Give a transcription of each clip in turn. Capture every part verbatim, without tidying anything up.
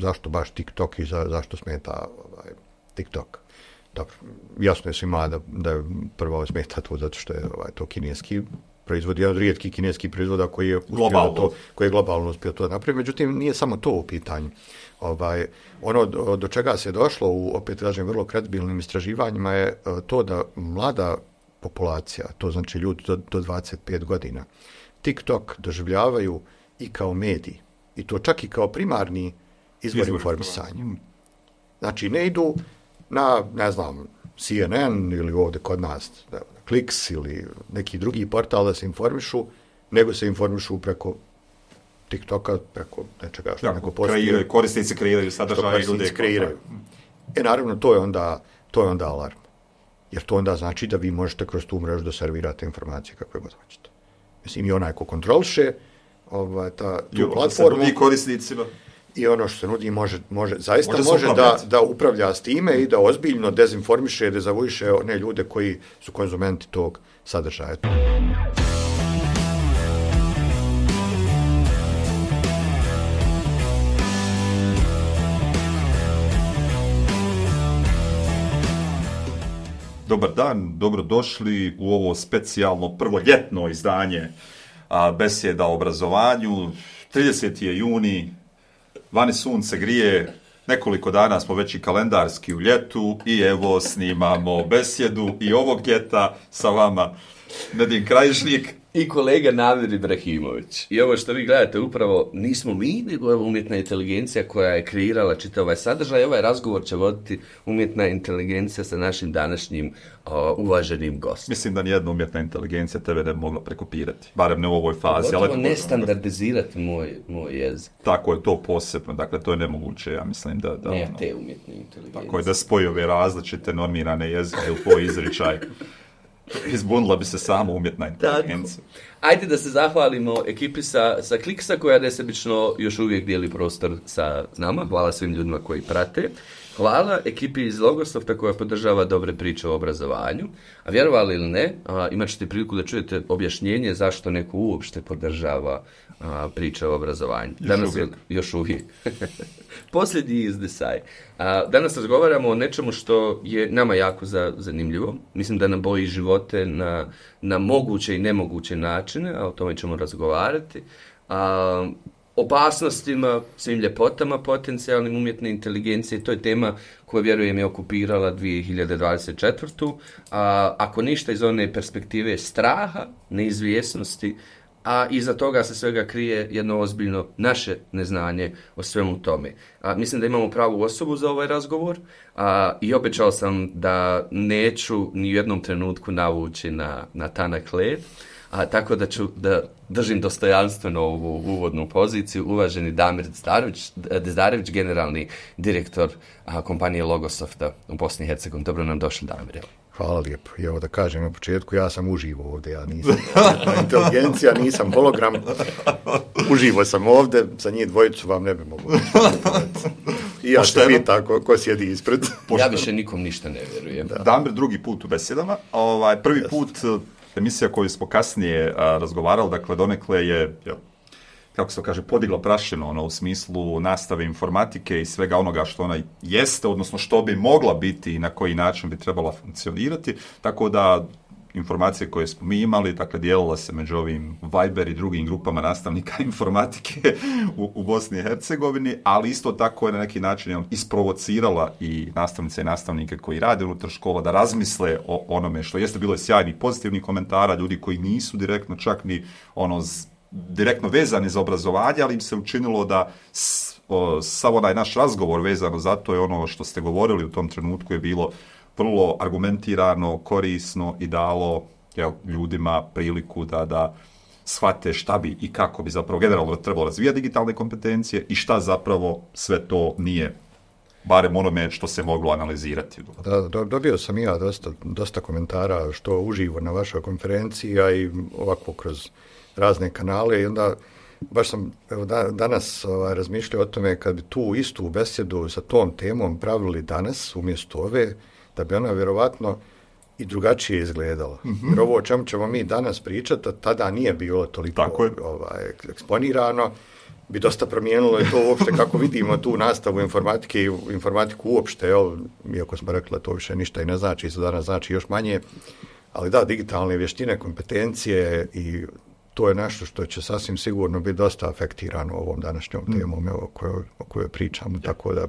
zašto baš TikTok i za, zašto smeta ovaj, TikTok. Dobro, jasno je svima da, da prvo smeta to zato što je ovaj, to kineski proizvod, jedan od rijetkih kineskih proizvoda koji je globalno to, koji je globalno uspio to napraviti. Međutim, nije samo to u pitanju. Ovaj, ono do, do čega se je došlo u, opet kažem, vrlo kredibilnim istraživanjima je to da mlada populacija, to znači ljudi do, do dvadeset pet godina, TikTok doživljavaju i kao medij, i to čak i kao primarni izvor, izvor informisanja. Znači, ne idu na, ne znam, C N N ili ovdje kod nas, na Kliks ili neki drugi portal da se informišu, nego se informišu preko TikToka, preko nečega što ja, neko postoji. Korisnici kreiraju sadržaje i ljude kreiraju. E, naravno, to je onda, to je onda alarm. Jer to onda znači da vi možete kroz tu mrežu da servirate informacije kakve god hoćete. Mislim, i onaj ko kontroliše ovaj, ta, tu jo, platformu i korisnicima. I ono što se nudi može, može zaista može, može da, da upravlja s time i da ozbiljno dezinformiše, dezavuiše one ljude koji su konzumenti tog sadržaja. Dobar dan, dobrodošli u ovo specijalno prvoljetno izdanje a, besjeda o obrazovanju. trideseti je juni, vani sunce grije, nekoliko dana smo već i kalendarski u ljetu i evo snimamo besjedu i ovog ljeta sa vama Nedim Krajišnik i kolega Namir Ibrahimović. I ovo što vi gledate upravo nismo mi, nego je umjetna inteligencija koja je kreirala čitav ovaj sadržaj. Ovaj razgovor će voditi umjetna inteligencija sa našim današnjim o, uvaženim gostom. Mislim da nijedna umjetna inteligencija tebe ne bi mogla prekopirati, barem ne u ovoj fazi. Gotovo ali ne standardizirati moj, moj jezik. Tako je, to posebno, dakle to je nemoguće, ja mislim da... da ne, ono, te umjetne inteligencije. Tako je, da spoji ove različite normirane jezike u tvoj izričaj. Izbunila bi se samo umjetna inteligencija. Ajde da se zahvalimo ekipi sa, sa Kliksa koja nesebično još uvijek dijeli prostor sa nama. Hvala svim ljudima koji prate. Hvala ekipi iz Logosofta koja podržava dobre priče o obrazovanju. A vjerovali ili ne, a, imat ćete priliku da čujete objašnjenje zašto neko uopšte podržava a, priče o obrazovanju. Još Danas uvijek. Je, još uvijek. Posljednji izdesaj. A, danas razgovaramo o nečemu što je nama jako za, zanimljivo. Mislim da nam boji živote na, na moguće i nemoguće načine, a o tome ćemo razgovarati. A, opasnostima, svim ljepotama potencijalnim umjetne inteligencije. To je tema koja, vjerujem, je okupirala dvije hiljade dvadeset četvrtu. A, ako ništa iz one perspektive straha, neizvjesnosti, a iza toga se svega krije jedno ozbiljno naše neznanje o svemu tome. A, mislim da imamo pravu osobu za ovaj razgovor a, i obećao sam da neću ni u jednom trenutku navući na, na tanak led. A, tako da ću da držim dostojanstveno ovu uvodnu poziciju. Uvaženi Damir Dezdarević, Dezdarević generalni direktor a, kompanije Logosofta u Bosni i Hercegovini. Dobro nam došli, Damir. Hvala lijepo. I evo da kažem na početku, ja sam uživo ovdje, ja nisam inteligencija, nisam hologram. Uživo sam ovdje, za njih dvojicu vam ne bi mogu. I ja se pita ko, ko sjedi ispred. Ja više nikom ništa ne vjerujem. Da. Damir drugi put u besedama. Ovaj, prvi Just. put emisija koju smo kasnije a, razgovarali, dakle donekle je, jel, kako se to kaže, podigla prašinu ono, u smislu nastave informatike i svega onoga što ona jeste, odnosno što bi mogla biti i na koji način bi trebala funkcionirati, tako da informacije koje smo mi imali, dakle dijelila se među ovim Viber i drugim grupama nastavnika informatike u, u Bosni i Hercegovini, ali isto tako je na neki način isprovocirala i nastavnice i nastavnike koji rade unutar škola da razmisle o onome što jeste. Bilo je sjajnih pozitivnih komentara, ljudi koji nisu direktno čak ni ono z, direktno vezani za obrazovanje, ali im se učinilo da s, o, sav onaj naš razgovor vezano za to je ono što ste govorili u tom trenutku je bilo vrlo argumentirano, korisno i dalo jel, ljudima priliku da, da shvate šta bi i kako bi zapravo generalno trebalo razvijati digitalne kompetencije i šta zapravo sve to nije, barem onome što se moglo analizirati. Da, do, dobio sam ja dosta, dosta komentara što uživo na vašoj konferenciji, a i ovako kroz razne kanale i onda baš sam evo, da, danas ovaj, razmišljao o tome kad bi tu istu besjedu sa tom temom pravili danas umjesto ove, da bi ona vjerovatno i drugačije izgledala. Mm-hmm. Jer ovo o čemu ćemo mi danas pričati, tada nije bilo toliko ovaj, eksponirano. bi dosta promijenilo i to uopšte kako vidimo tu nastavu informatike i informatiku uopšte, jel, iako smo rekli to više ništa i ne znači, i danas znači još manje, ali da, digitalne vještine, kompetencije i to je nešto što će sasvim sigurno biti dosta afektirano ovom današnjom temom o kojoj, o kojoj pričamo, tako da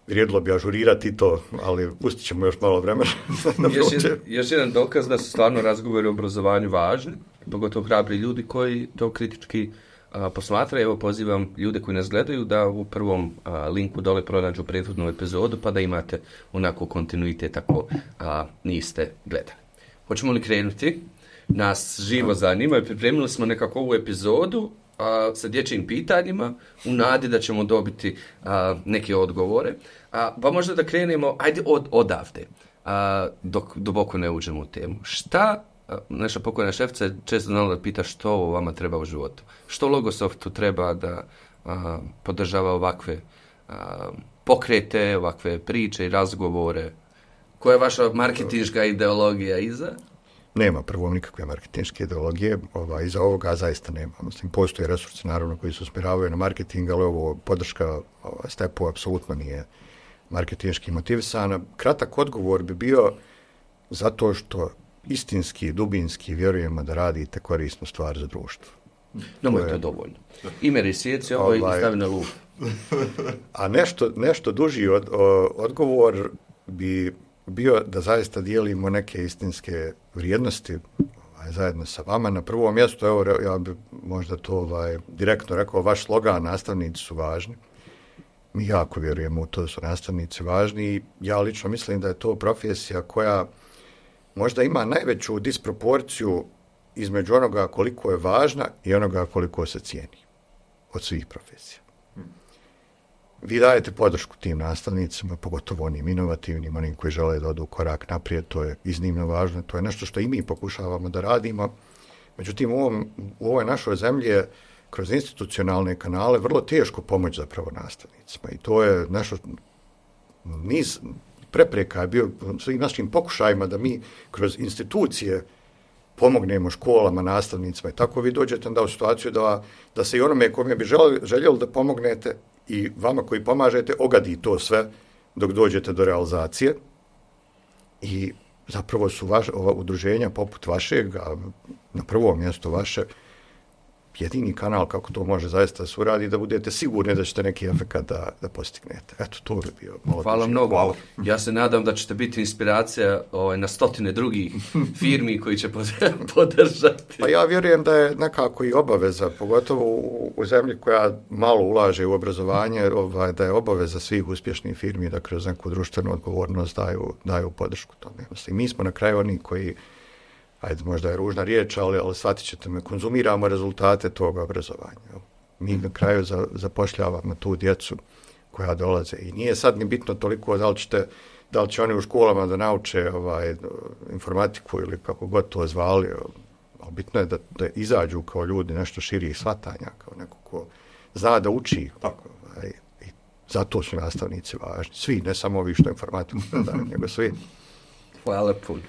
vrijedilo bi ažurirati to, ali pustit ćemo još malo vremena. još, jedan, još jedan dokaz da su stvarno razgovori o obrazovanju važni, pogotovo hrabri ljudi koji to kritički a, posmatraju. Evo pozivam ljude koji nas gledaju da u prvom a, linku dole pronađu prethodnu epizodu pa da imate onako kontinuitet ako a, niste gledali. Hoćemo li krenuti? Nas živo zanima i pripremili smo nekako ovu epizodu a, sa dječjim pitanjima u nadi da ćemo dobiti a, neke odgovore. A, pa možda da krenemo, ajde od, odavde, a, dok duboko ne uđemo u temu. Šta, a, naša pokojna šefica je često znala da pita što ovo vama treba u životu. Što Logosoftu treba da a, podržava ovakve a, pokrete, ovakve priče i razgovore? Koja je vaša marketinška ideologija iza? Nema prvo nikakve marketinške ideologije, ovaj, iza ovoga zaista nema. Mislim, postoje resursi naravno koji se usmjeravaju na marketing, ali ovo podrška ovaj, stepu apsolutno nije marketinški motivisana. Kratak odgovor bi bio zato što istinski, dubinski vjerujemo da radite korisnu stvar za društvo. No, to je to dovoljno. Ime resjeci ovo ovaj, i stavi na lup. A nešto, nešto duži od, o, odgovor bi bio da zaista dijelimo neke istinske vrijednosti ovaj, zajedno sa vama. Na prvom mjestu, evo, ja bih možda to ovaj, direktno rekao, vaš slogan, nastavnici su važni. Mi jako vjerujemo u to da su nastavnici važni i ja lično mislim da je to profesija koja možda ima najveću disproporciju između onoga koliko je važna i onoga koliko se cijeni od svih profesija. Vi dajete podršku tim nastavnicima, pogotovo onim inovativnim, onim koji žele da odu korak naprijed, to je iznimno važno, to je nešto što i mi pokušavamo da radimo. Međutim, u, ovom, u ovoj našoj zemlji je kroz institucionalne kanale vrlo teško pomoći zapravo nastavnicima i to je nešto, niz prepreka je bio svim našim pokušajima da mi kroz institucije pomognemo školama, nastavnicima i tako vi dođete onda u situaciju da, da se i onome kome bi željeli, željeli da pomognete i vama koji pomažete ogadi to sve dok dođete do realizacije i zapravo su vaš, ova udruženja poput vašeg, a na prvom mjestu vaše, jedini kanal kako to može zaista se uradi da budete sigurni da ćete neki efekat da, da postignete. Eto, to bi bio malo... Hvala mnogo. Hvala. Ja se nadam da ćete biti inspiracija ovaj, na stotine drugih firmi koji će podržati. Pa ja vjerujem da je nekako i obaveza, pogotovo u, u zemlji koja malo ulaže u obrazovanje, ovaj, da je obaveza svih uspješnih firmi da kroz neku društvenu odgovornost daju, daju podršku tome. I mi smo na kraju oni koji, ajde, možda je ružna riječ, ali, ali shvatit ćete me, konzumiramo rezultate toga obrazovanja. Mi na kraju za, zapošljavamo tu djecu koja dolaze i nije sad ni bitno toliko da li, ćete, da li će oni u školama da nauče ovaj, informatiku ili kako god to zvali, ali bitno je da, da izađu kao ljudi nešto širih shvatanja, kao neko ko zna da uči. Tako, ovaj, i zato su nastavnici važni. Svi, ne samo ovi što informatiku predaju, nego svi. Hvala puno.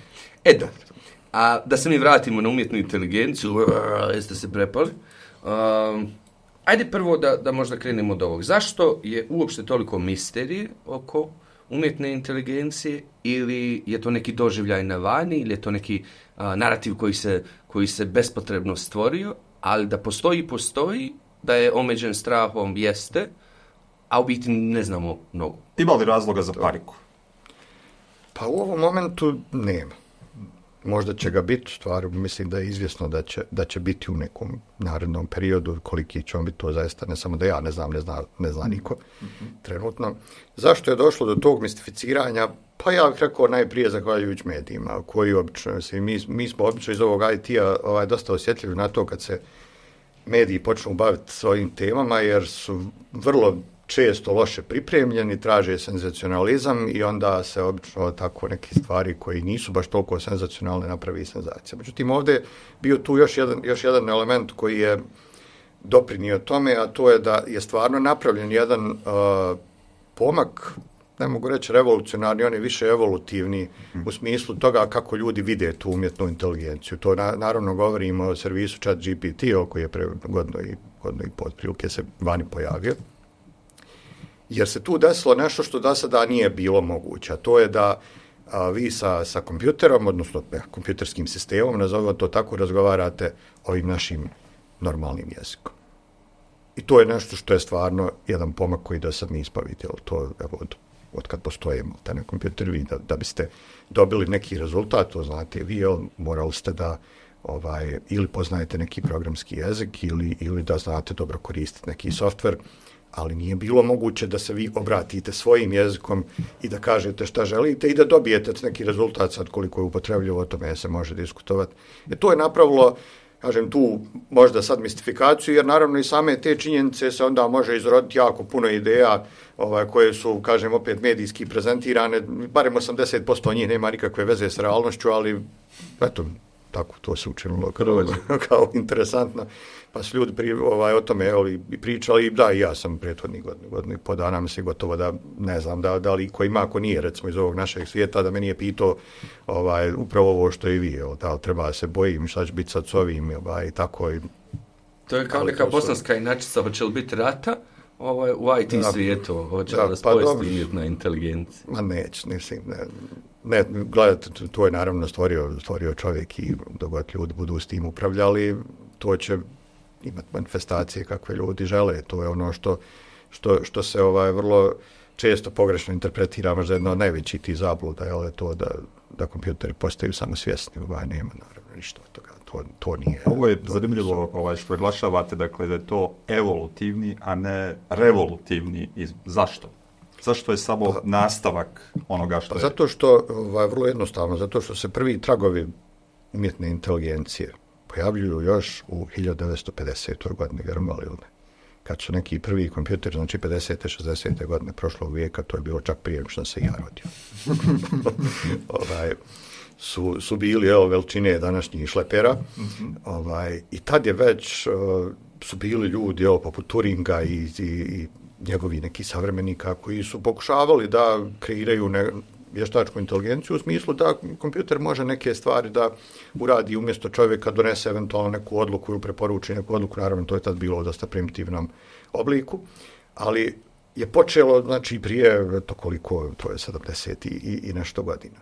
E da, a da se mi vratimo na umjetnu inteligenciju, jeste se prepali. Um, ajde prvo da, da možda krenemo od ovog. Zašto je uopšte toliko misterije oko umjetne inteligencije ili je to neki doživljaj na vani ili je to neki uh, narativ koji se, koji se bespotrebno stvorio, ali da postoji, postoji, da je omeđen strahom, jeste, a u biti ne znamo mnogo. Ima li razloga za paniku? Pa u ovom momentu nema. Možda će ga biti, stvar, mislim da je izvjesno da će, da će biti u nekom narednom periodu, koliki će on biti, to zaista ne samo da ja ne znam, ne zna, ne zna niko mm-hmm. trenutno. Zašto je došlo do tog mistificiranja? Pa ja bih rekao najprije zahvaljujući medijima, koji obično, mislim, mi, mi smo obično iz ovog I T-a ovaj, dosta osjetljivi na to kad se mediji počnu baviti svojim temama, jer su vrlo često loše pripremljeni, traže senzacionalizam i onda se obično tako neke stvari koji nisu baš toliko senzacionalne napravi senzacija. Međutim, ovdje je bio tu još jedan, još jedan element koji je doprinio tome, a to je da je stvarno napravljen jedan uh, pomak, ne mogu reći revolucionarni, on je više evolutivni mm. u smislu toga kako ljudi vide tu umjetnu inteligenciju. To na, naravno govorimo o servisu ChatGPT, koji je pre godno i, godno i pod prilike se vani pojavio. Jer se tu desilo nešto što do sada nije bilo moguće, a to je da a, vi sa, sa kompjuterom, odnosno ne, kompjuterskim sistemom, nazovimo to tako, razgovarate ovim našim normalnim jezikom. I to je nešto što je stvarno jedan pomak koji do sad nismo vidjeli. To, evo, od, od kad postoje na kompjuteru, da, da biste dobili neki rezultat, to znate vi, morali ste da ovaj, ili poznajete neki programski jezik ili, ili da znate dobro koristiti neki softver, ali nije bilo moguće da se vi obratite svojim jezikom i da kažete šta želite i da dobijete neki rezultat, sad koliko je upotrebljivo, o tome se može diskutovati. E, to je napravilo, kažem, tu možda sad mistifikaciju, jer naravno i same te činjenice se onda može izroditi jako puno ideja ovaj, koje su, kažem, opet medijski prezentirane, barem osamdeset posto njih nema nikakve veze s realnošću, ali eto, tako to se učinilo kao, kao interesantno. Pa su ljudi pri, ovaj, o tome evo, pričali, da, i ja sam prethodnih godina, godina po dana, mislim gotovo da, ne znam, da, da li ko ima, ako nije, recimo iz ovog našeg svijeta, da me nije pitao ovaj, upravo ovo što i vi, evo, da li treba se bojim, šta će biti sad s ovim, ovaj, i tako. I, to je kao neka bosanska inačica, hoće li biti rata ovaj, u I T da, svijetu, hoće da, da spojesti pa, umjetna inteligencija? Ma neće, mislim, ne. Ne, gledajte, to je naravno stvorio, stvorio čovjek i dok ljudi budu s tim upravljali, to će imati manifestacije kakve ljudi žele. To je ono što, što, što se ovaj, vrlo često pogrešno interpretira, možda jedno od najvećih tih zabluda, je to da, da kompjuteri postaju samo svjesni, ovaj, nema naravno ništa od toga. To, to nije. Ovo je zanimljivo ovaj, što naglašavate, dakle, da je to evolutivni, a ne revolutivni. Zašto? Zašto je samo pa, nastavak onoga što pa je? Zato što, ovaj, vrlo jednostavno, zato što se prvi tragovi umjetne inteligencije pojavljuju još u hiljadu devetsto pedesetoj godine, vjerovali ili ne. Kad su neki prvi kompjuteri, znači pedesete šezdesete godine prošlog vijeka, to je bilo čak prije što sam se ja rodio. ovaj, su, su bili evo, veličine današnjih šlepera mm-hmm. ovaj, i tad je već uh, su bili ljudi evo, poput Turinga i, i, i njegovi neki savremenika koji su pokušavali da kreiraju ne, vještačku inteligenciju u smislu da kompjuter može neke stvari da uradi umjesto čovjeka, donese eventualno neku odluku ili preporuči neku odluku, naravno to je tad bilo u dosta primitivnom obliku, ali je počelo, znači, prije, to koliko, to je sedamdeset i, i nešto godina.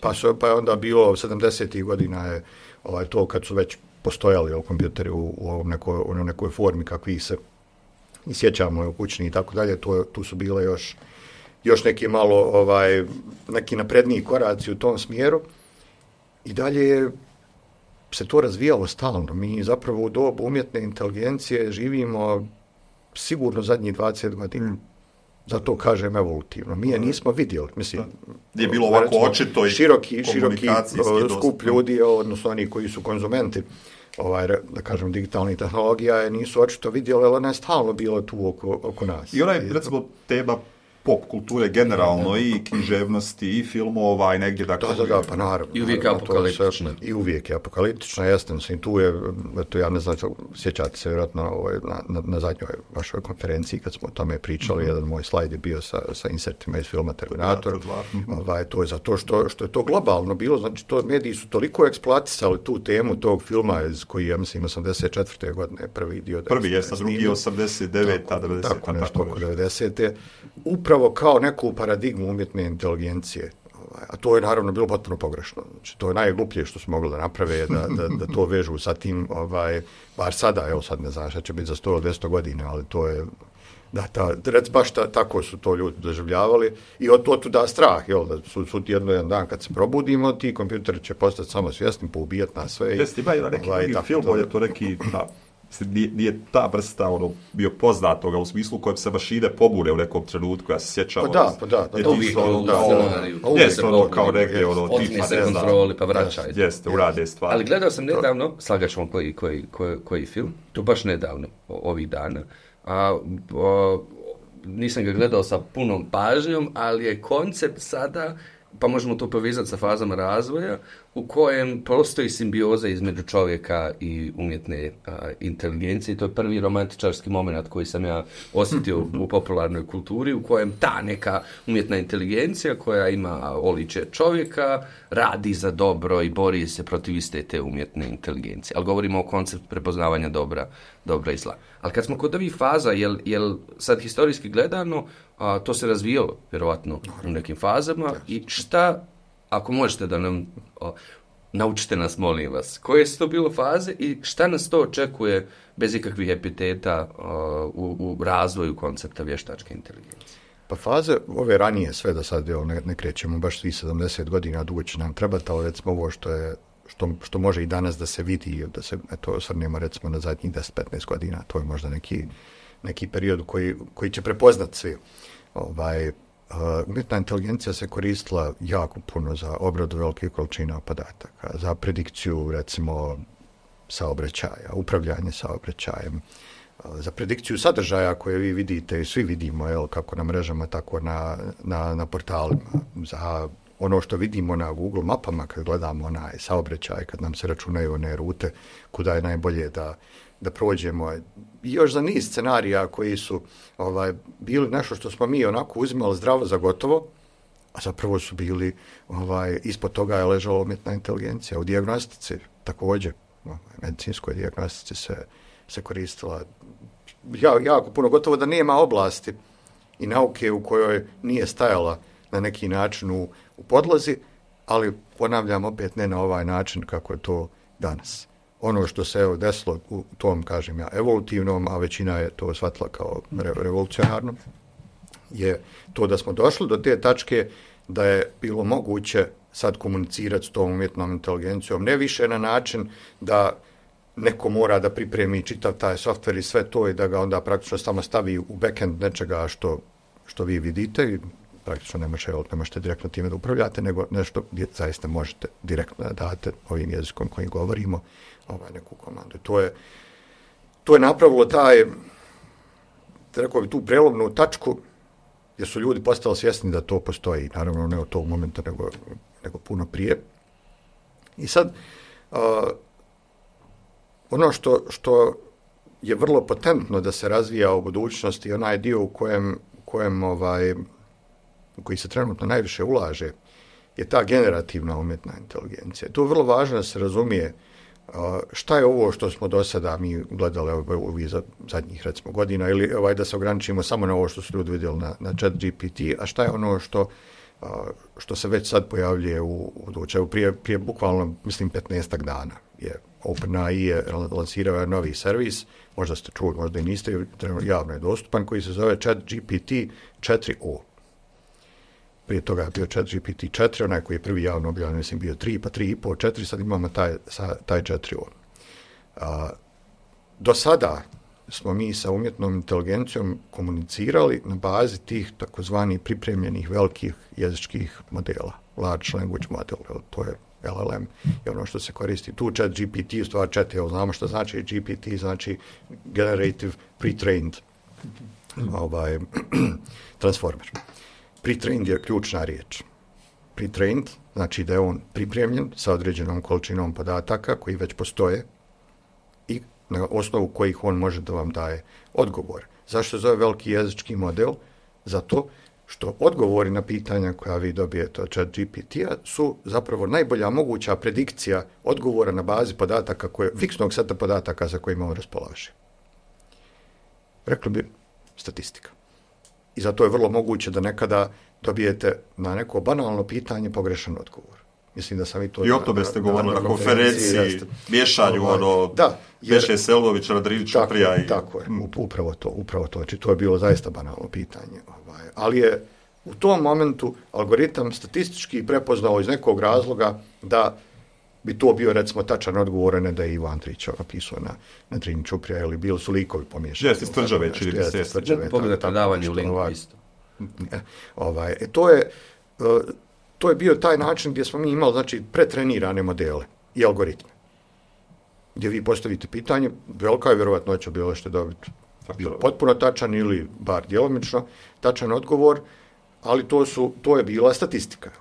Pa, su, pa je onda bilo sedamdesetih godina je ovaj, to kad su već postojali o, kompjuteri u, u ovom nekoj, u nekoj formi kakvi se i sjećamo u kućni i tako dalje, to, tu su bile još još neki malo, ovaj, neki napredniji koraci u tom smjeru i dalje se to razvijalo stalno. Mi zapravo u dobu umjetne inteligencije živimo sigurno zadnjih dvadeset godina. Zato kažem evolutivno. Mi je nismo vidjeli. Mislim, je bilo ovako recimo, očito i široki, široki skup ljudi, odnosno oni koji su konzumenti ovaj, da kažem, digitalnih tehnologija, nisu očito vidjeli, ali ona je stalno bila tu oko, oko nas. I ona je, recimo, tema pop kulture generalno i književnosti i filmova i negdje dakle... Da, da, da, pa naravno. I uvijek naravno, apokaliptična. I uvijek je apokaliptična, jeste, mislim, tu je, eto, ja ne znam, sjećate se vjerojatno ovaj, na, na, na zadnjoj vašoj konferenciji kad smo o tome pričali, mm-hmm. jedan moj slajd je bio sa, sa insertima iz filma Terminator. Mm-hmm. Ovaj, to je zato što, što je to globalno bilo, znači to mediji su toliko eksploatisali tu temu tog filma iz koji, ja mislim, osamdeset četvrte godine prvi dio. Prvi je, sad drugi osamdeset devete devedesete Tako, nešto oko devedesete Upravo kao neku paradigmu umjetne inteligencije. A to je naravno bilo potpuno pogrešno. Znači, to je najgluplje što su mogli da naprave, da, da, da to vežu sa tim, ovaj, bar sada, evo sad ne znam šta će biti za sto do dvjesto godina, ali to je, da, ta, rec, baš ta, tako su to ljudi doživljavali i od to tu da strah, jel, da su, su jedno jedan dan kad se probudimo, ti kompjuteri će postati samo svjesni, poubijati nas sve. Jeste, ima jedan neki ovaj, film, je to neki, da, Nije, nije ta vrsta ono, bio poznatoga u smislu kojem se mašine pobune u nekom trenutku, ja se sjećam. Pa da, pa da. da to uvijek ono, da, ono, jeste ono kao negdje, ono, otmi se kontroli, pa vraćaj. Jeste, urade stvari. Ali gledao sam nedavno, slagat ćemo koji, koji, koji, koji film, to baš nedavno, ovih dana, a, a nisam ga gledao sa punom pažnjom, ali je koncept sada, pa možemo to povezati sa fazama razvoja, u kojem postoji simbioza između čovjeka i umjetne a, inteligencije. I to je prvi romantičarski moment koji sam ja osjetio u, u popularnoj kulturi, u kojem ta neka umjetna inteligencija koja ima oličje čovjeka radi za dobro i bori se protiv iste te umjetne inteligencije. Ali govorimo o konceptu prepoznavanja dobra, dobra i zla. Ali kad smo kod ovih faza, jel, jel sad historijski gledano, a, to se razvijalo vjerovatno u nekim fazama i šta, ako možete da nam o, naučite nas, molim vas, koje su to bilo faze i šta nas to očekuje bez ikakvih epiteta o, u, u razvoju koncepta vještačke inteligencije? Pa faze ove ranije, sve da sad evo, ne, ne krećemo baš svih sedamdeset godina, dugo će nam trebati, ali recimo ovo što je Što, što može i danas da se vidi, da se eto, osvrnemo recimo na zadnjih deset do petnaest godina, to je možda neki, neki period koji, koji će prepoznati svi. Ovaj, uh, umjetna inteligencija se koristila jako puno za obradu velikih količina podataka, za predikciju recimo saobraćaja, upravljanje saobraćajem, uh, za predikciju sadržaja koje vi vidite i svi vidimo, jel, kako na mrežama, tako na, na, na portalima, za ono što vidimo na Google mapama kad gledamo onaj saobraćaj, kad nam se računaju one rute, kuda je najbolje da, da prođemo. I još za niz scenarija koji su ovaj, bili nešto što smo mi onako uzimali zdravo za gotovo, a zapravo su bili, ovaj, ispod toga je ležala umjetna inteligencija. U dijagnostici također, ovaj, medicinskoj dijagnostici se, se koristila ja, jako puno, gotovo da nema oblasti i nauke u kojoj nije stajala na neki način u, u podlozi, ali ponavljam opet ne na ovaj način kako je to danas. Ono što se evo desilo u tom, kažem ja, evolutivnom, a većina je to shvatila kao re, revolucionarno, je to da smo došli do te tačke da je bilo moguće sad komunicirati s tom umjetnom inteligencijom, ne više na način da neko mora da pripremi čitav taj softver i sve to i da ga onda praktično samo stavi u backend nečega što, što vi vidite i praktično ne možete, ne možete direktno time da upravljate, nego nešto gdje zaista možete direktno da date ovim jezikom kojim govorimo ovaj, neku komandu. To je, to je napravilo taj, rekao bi, tu prelomnu tačku gdje su ljudi postali svjesni da to postoji, naravno ne od tog momenta, nego, nego puno prije. I sad, uh, ono što, što je vrlo potentno da se razvija u budućnosti, onaj dio u kojem, u kojem ovaj, u koji se trenutno najviše ulaže, je ta generativna umjetna inteligencija. To je vrlo važno da se razumije uh, šta je ovo što smo do sada mi gledali ovih zadnjih recimo godina, ili ovaj, da se ograničimo samo na ovo što su ljudi vidjeli na, na chat G P T, a šta je ono što, uh, što se već sad pojavljuje u, u dočevu. Prije, prije bukvalno, mislim, petnaestak dana je OpenAI je lansirao novi servis, možda ste čuli, možda i niste, javno je dostupan, koji se zove chat G P T četiri o. Prije toga je bio chat G P T četiri, onaj koji je prvi javno objavljen, mislim, bio tri, pa tri i po, četiri, sad imamo taj, taj četiri o. A, do sada smo mi sa umjetnom inteligencijom komunicirali na bazi tih takozvanih pripremljenih velikih jezičkih modela, large language model, to je L L M, je ono što se koristi. Tu chat G P T, u stvari chat, evo znamo što znači G P T, znači Generative Pre-trained ovaj, Transformer. Pre-trained je ključna riječ. Pre-trained znači da je on pripremljen sa određenom količinom podataka koji već postoje i na osnovu kojih on može da vam daje odgovor. Zašto se zove veliki jezički model? Zato što odgovori na pitanja koja vi dobijete od chat G P T-a su zapravo najbolja moguća predikcija odgovora na bazi podataka, koje, fiksnog seta podataka za kojima on raspolaže. Rekli bi statistika. I zato je vrlo moguće da nekada dobijete na neko banalno pitanje pogrešan odgovor. Mislim da sam i to... I o tome ste govorili na, na konferenciji, miješanju, ovaj, ono, da, Veše Selvović, Radrivić, Čuprija i... Tako je, upravo to, upravo to. Znači, to je bilo zaista banalno pitanje. Ovaj, ali je u tom momentu algoritam statistički prepoznao iz nekog razloga da bi to bio, recimo, tačan odgovor, ne da je Ivo Andrić napisao na, na Drini Čuprija, ili bili su likovi pomiješani. Jeste, Stvrđave, čini mi se. Pogledajte davanje u linku isto. Ovaj, e, to je... Uh, To je bio taj način gdje smo mi imali, znači, pretrenirane modele i algoritme. Gdje vi postavite pitanje, velika je vjerovatnoća bilo što dobiti potpuno tačan ili bar djelomično tačan odgovor, ali to, su, to je bila statistika.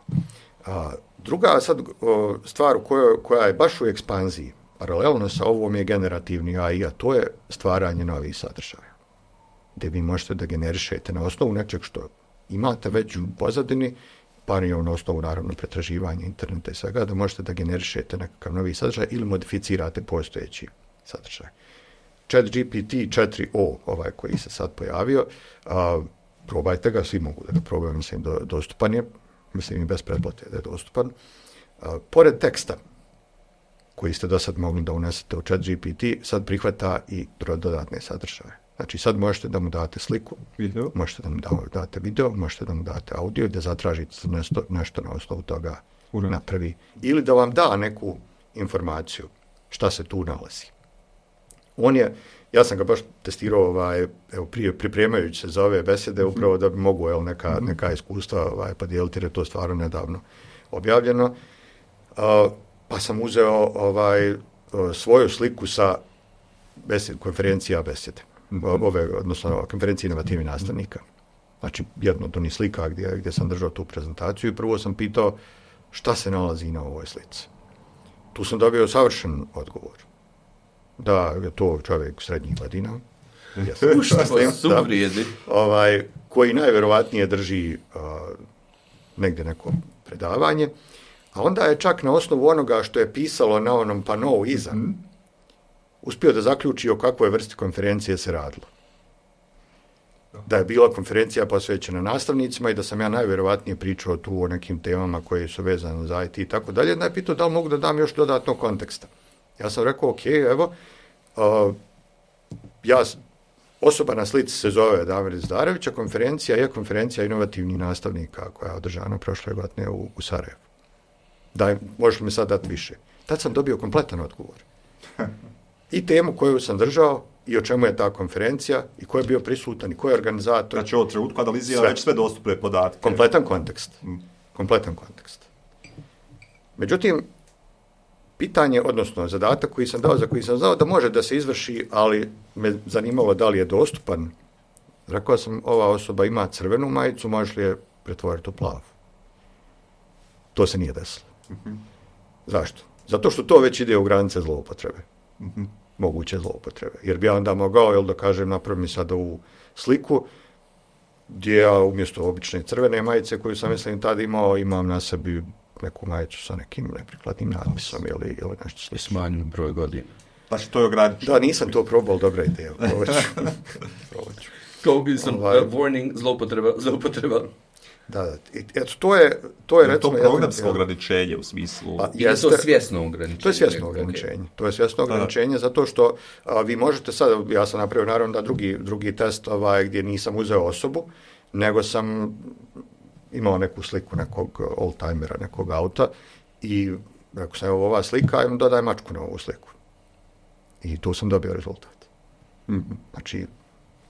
A, druga sad o, stvar koja, koja je baš u ekspanziji, paralelno sa ovom je generativni A I, a to je stvaranje novih sadržaja, gdje vi možete da generišete na osnovu nečeg što imate već u pozadini, pa i na osnovu naravno pretraživanja interneta i svega, da možete da generišete nekakav novi sadržaj ili modificirate postojeći sadržaj. ChatGPT četiri o, ovaj koji se sad pojavio, a, probajte ga, svi mogu da ga probaju, mislim, do, dostupan je, mislim i bez pretplate da je dostupan. A, pored teksta koji ste do sad mogli da unesete u ChatGPT, sad prihvata i dodatne sadržaje. Znači sad možete da mu date sliku, video. Možete da mu date video, možete da mu date audio, da zatražite nešto, nešto na osnovu toga Ura. napravi. Ili da vam da neku informaciju šta se tu nalazi. On je, ja sam ga baš testirao ovaj, evo, prije, pripremajući se za ove besede, mm-hmm. upravo da bi mogu evo, neka, mm-hmm. neka iskustva ovaj, podijeliti, jer je to stvarno nedavno objavljeno. Uh, pa sam uzeo ovaj, uh, svoju sliku sa besed, konferencija besede. Ove, odnosno konferencije inovativnih nastavnika. Znači, jedno od onih slika gdje, gdje sam držao tu prezentaciju i prvo sam pitao šta se nalazi na ovoj slici. Tu sam dobio savršen odgovor. Da je to čovjek srednjih godina. ovaj, koji najverovatnije drži uh, negdje neko predavanje, a onda je čak na osnovu onoga što je pisalo na onom panou iza, mm-hmm. uspio da zaključi o kakvoj vrsti konferencije se radilo. Da je bila konferencija posvećena nastavnicima i da sam ja najvjerovatnije pričao tu o nekim temama koje su vezane za I T i tako dalje. Onda je pitao da li mogu da dam još dodatnog konteksta. Ja sam rekao, ok, evo, uh, ja, osoba na slici se zove Damir Zdarević, a konferencija je konferencija inovativnih nastavnika koja je održana prošle godine u, u Sarajevu. Daj, možeš mi sad dati više. Tad sam dobio kompletan odgovor. I temu koju sam držao, i o čemu je ta konferencija, i ko je bio prisutan, i ko je organizator. Znači, ovo trenutku analizira već sve dostupne podatke. Kompletan kontekst. Mm. Kompletan kontekst. Međutim, pitanje, odnosno zadatak koji sam dao, za koji sam znao da može da se izvrši, ali me zanimalo da li je dostupan, rekao sam, ova osoba ima crvenu majicu, možeš li je pretvoriti u plavu? To se nije desilo. Mm-hmm. Zašto? Zato što to već ide u granice zloupotrebe. Mm-hmm. Moguće zloupotrebe. Jer bi ja onda mogao, jel da kažem, napravim mi sad ovu sliku, gdje ja umjesto obične crvene majice koju sam mislim tada imao, imam na sebi neku majicu sa nekim neprikladnim natpisom ili, ili nešto slično. Smanjen broj godina. Znači to je ograničeno. Da, nisam to probao, dobra ideja. Probat ću. Probat ću. Kao bi sam, ovaj, uh, warning, zloupotreba, zloupotreba. Da, da. Eto, to je, to je, recimo... To programsko ograničenje u smislu... A, je to svjesno ograničenje? To je svjesno ograničenje. Okay. To je svjesno ograničenje, da, zato što a, vi možete sad, ja sam napravio naravno da drugi, drugi test ovaj, gdje nisam uzeo osobu, nego sam imao neku sliku nekog oldtimera, nekog auta i rekao sam, evo ova slika, im dodaj mačku na ovu sliku. I tu sam dobio rezultat. Mm-hmm. Znači,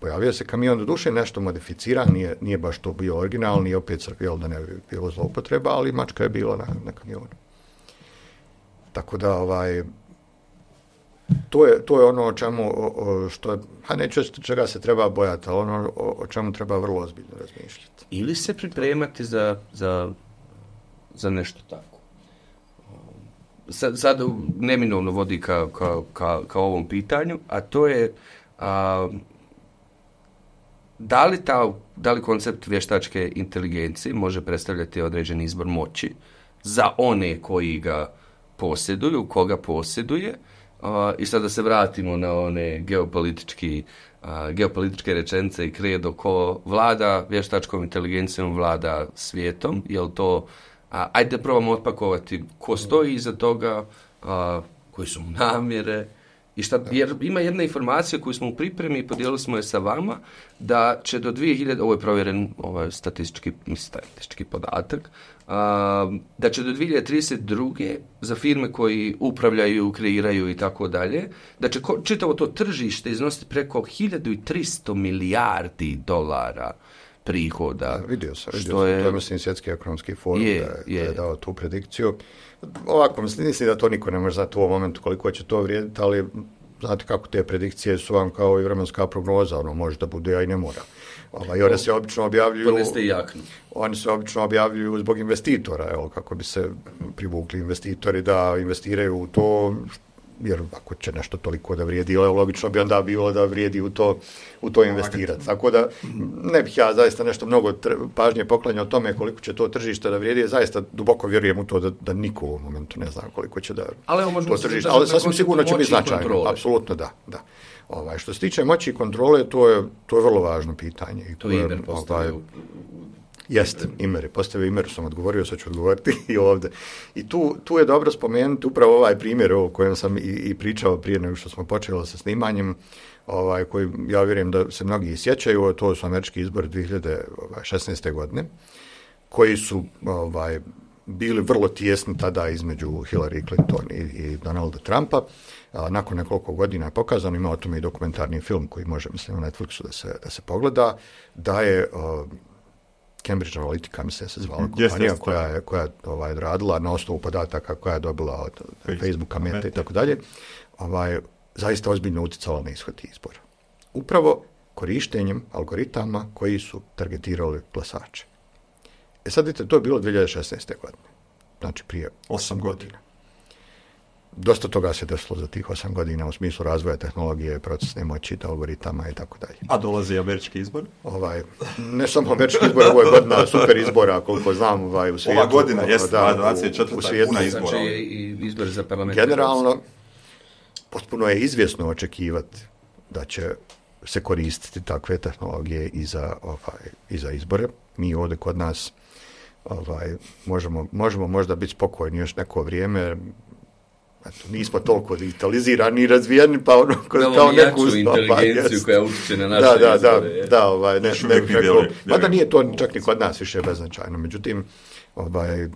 pojavio se kamion, do duše nešto modificiran, nije, nije baš to bio originalni, opet crkvijel da ne bi bilo zloupotreba, ali mačka je bila na, na kamionu. Tako da, ovaj, to je, to je ono o čemu, o, o, što je, a neću čega se treba bojati, ali ono o, o čemu treba vrlo ozbiljno razmišljati. Ili se pripremati za, za, za nešto tako. Sad, sad neminovno vodi ka, ka, ka, ka ovom pitanju, a to je... A, Da li, ta, da li koncept vještačke inteligencije može predstavljati određeni izbor moći za one koji ga posjeduju, koga posjeduje? Uh, I sad da se vratimo na one geopolitički, uh, geopolitičke rečenice i kredo ko vlada vještačkom inteligencijom, vlada svijetom. Je li to, uh, ajde probamo otpakovati ko stoji iza toga, uh, koji su mu namjere. I šta, jer ima jedna informacija koju smo u pripremi i podijelili smo je sa vama, da će do dvije hiljade, ovo je provjeren ovaj statistički, statistički podatak, a, da će do dvije hiljade trideset druge za firme koji upravljaju, kreiraju i tako dalje, da će ko, čitavo to tržište iznositi preko hiljadu tristo milijardi dolara prihoda. Da, vidio sam, vidio sam, je, to je mislim Svjetski ekonomski forum je, da, je, je. da je dao tu predikciju. Ovako, mislim, mislim da to niko ne može znati u ovom momentu koliko će to vrijediti, ali znate kako te predikcije su vam kao i vremenska prognoza, ono može da bude, a i ne mora. Ovaj, one se obično objavljuju... Poneste i jaknu. Oni se obično objavljuju zbog investitora, evo, kako bi se privukli investitori da investiraju u to, jer ako će nešto toliko da vrijedi, logično bi onda bilo da vrijedi u to, u to investirati. Tako da ne bih ja zaista nešto mnogo pažnje poklanjao o tome koliko će to tržište da vrijedi, zaista duboko vjerujem u to da, da niko u momentu ne zna koliko će da ali to tržište, ali sasvim sigurno će biti značajno, apsolutno da, da. Ovaj, što se tiče moći i kontrole, to je, to je vrlo važno pitanje. I to je Imer postavio. Ovaj, jeste, Imer, postavio Imer, sam odgovorio, sad ću odgovoriti i ovdje. I tu, tu je dobro spomenuti upravo ovaj primjer o kojem sam i, i pričao prije nego što smo počeli sa snimanjem, ovaj, koji ja vjerujem da se mnogi sjećaju, to su američki izbori dvije hiljade šesnaeste. godine, koji su ovaj, bili vrlo tijesni tada između Hillary Clinton i, i Donalda Trumpa. A, nakon nekoliko godina je pokazano, ima o tome i dokumentarni film koji može, mislim, na Netflixu da se, da se pogleda, da je uh, Cambridge Analytica, mislim, se zvala kompanija yes, koja je, koja je ovaj, radila na osnovu podataka koja je dobila od Facebook. Facebooka, Meta i tako dalje, ovaj, zaista ozbiljno utjecala na ishod izbora. Upravo korištenjem algoritama koji su targetirali glasače. E sad vidite, to je bilo dvije hiljade šesnaeste. godine. Znači prije osam godina. Dosta toga se desilo za tih osam godina u smislu razvoja tehnologije, procesne moći, algoritama i tako dalje. A dolazi američki izbor? Ovaj, ne samo američki izbor, ovo je godina super izbora, koliko znam ovaj, u svijetu. Ova godina jeste, da, dvadeset četvrta puna izbora. Znači i izbor za parlament. Generalno, potpuno je izvjesno očekivati da će se koristiti takve tehnologije i za, ovaj, i za izbore. Mi ovdje kod nas ovaj, možemo, možemo možda biti spokojni još neko vrijeme. Eto, nismo toliko digitalizirani i razvijeni, pa ono kao, kao neku jaču inteligenciju koja utječe na naše da, da, izbore. Da, da, ovaj, ne, ne, ne, mada nije to čak ni kod nas više beznačajno. Međutim, ovaj,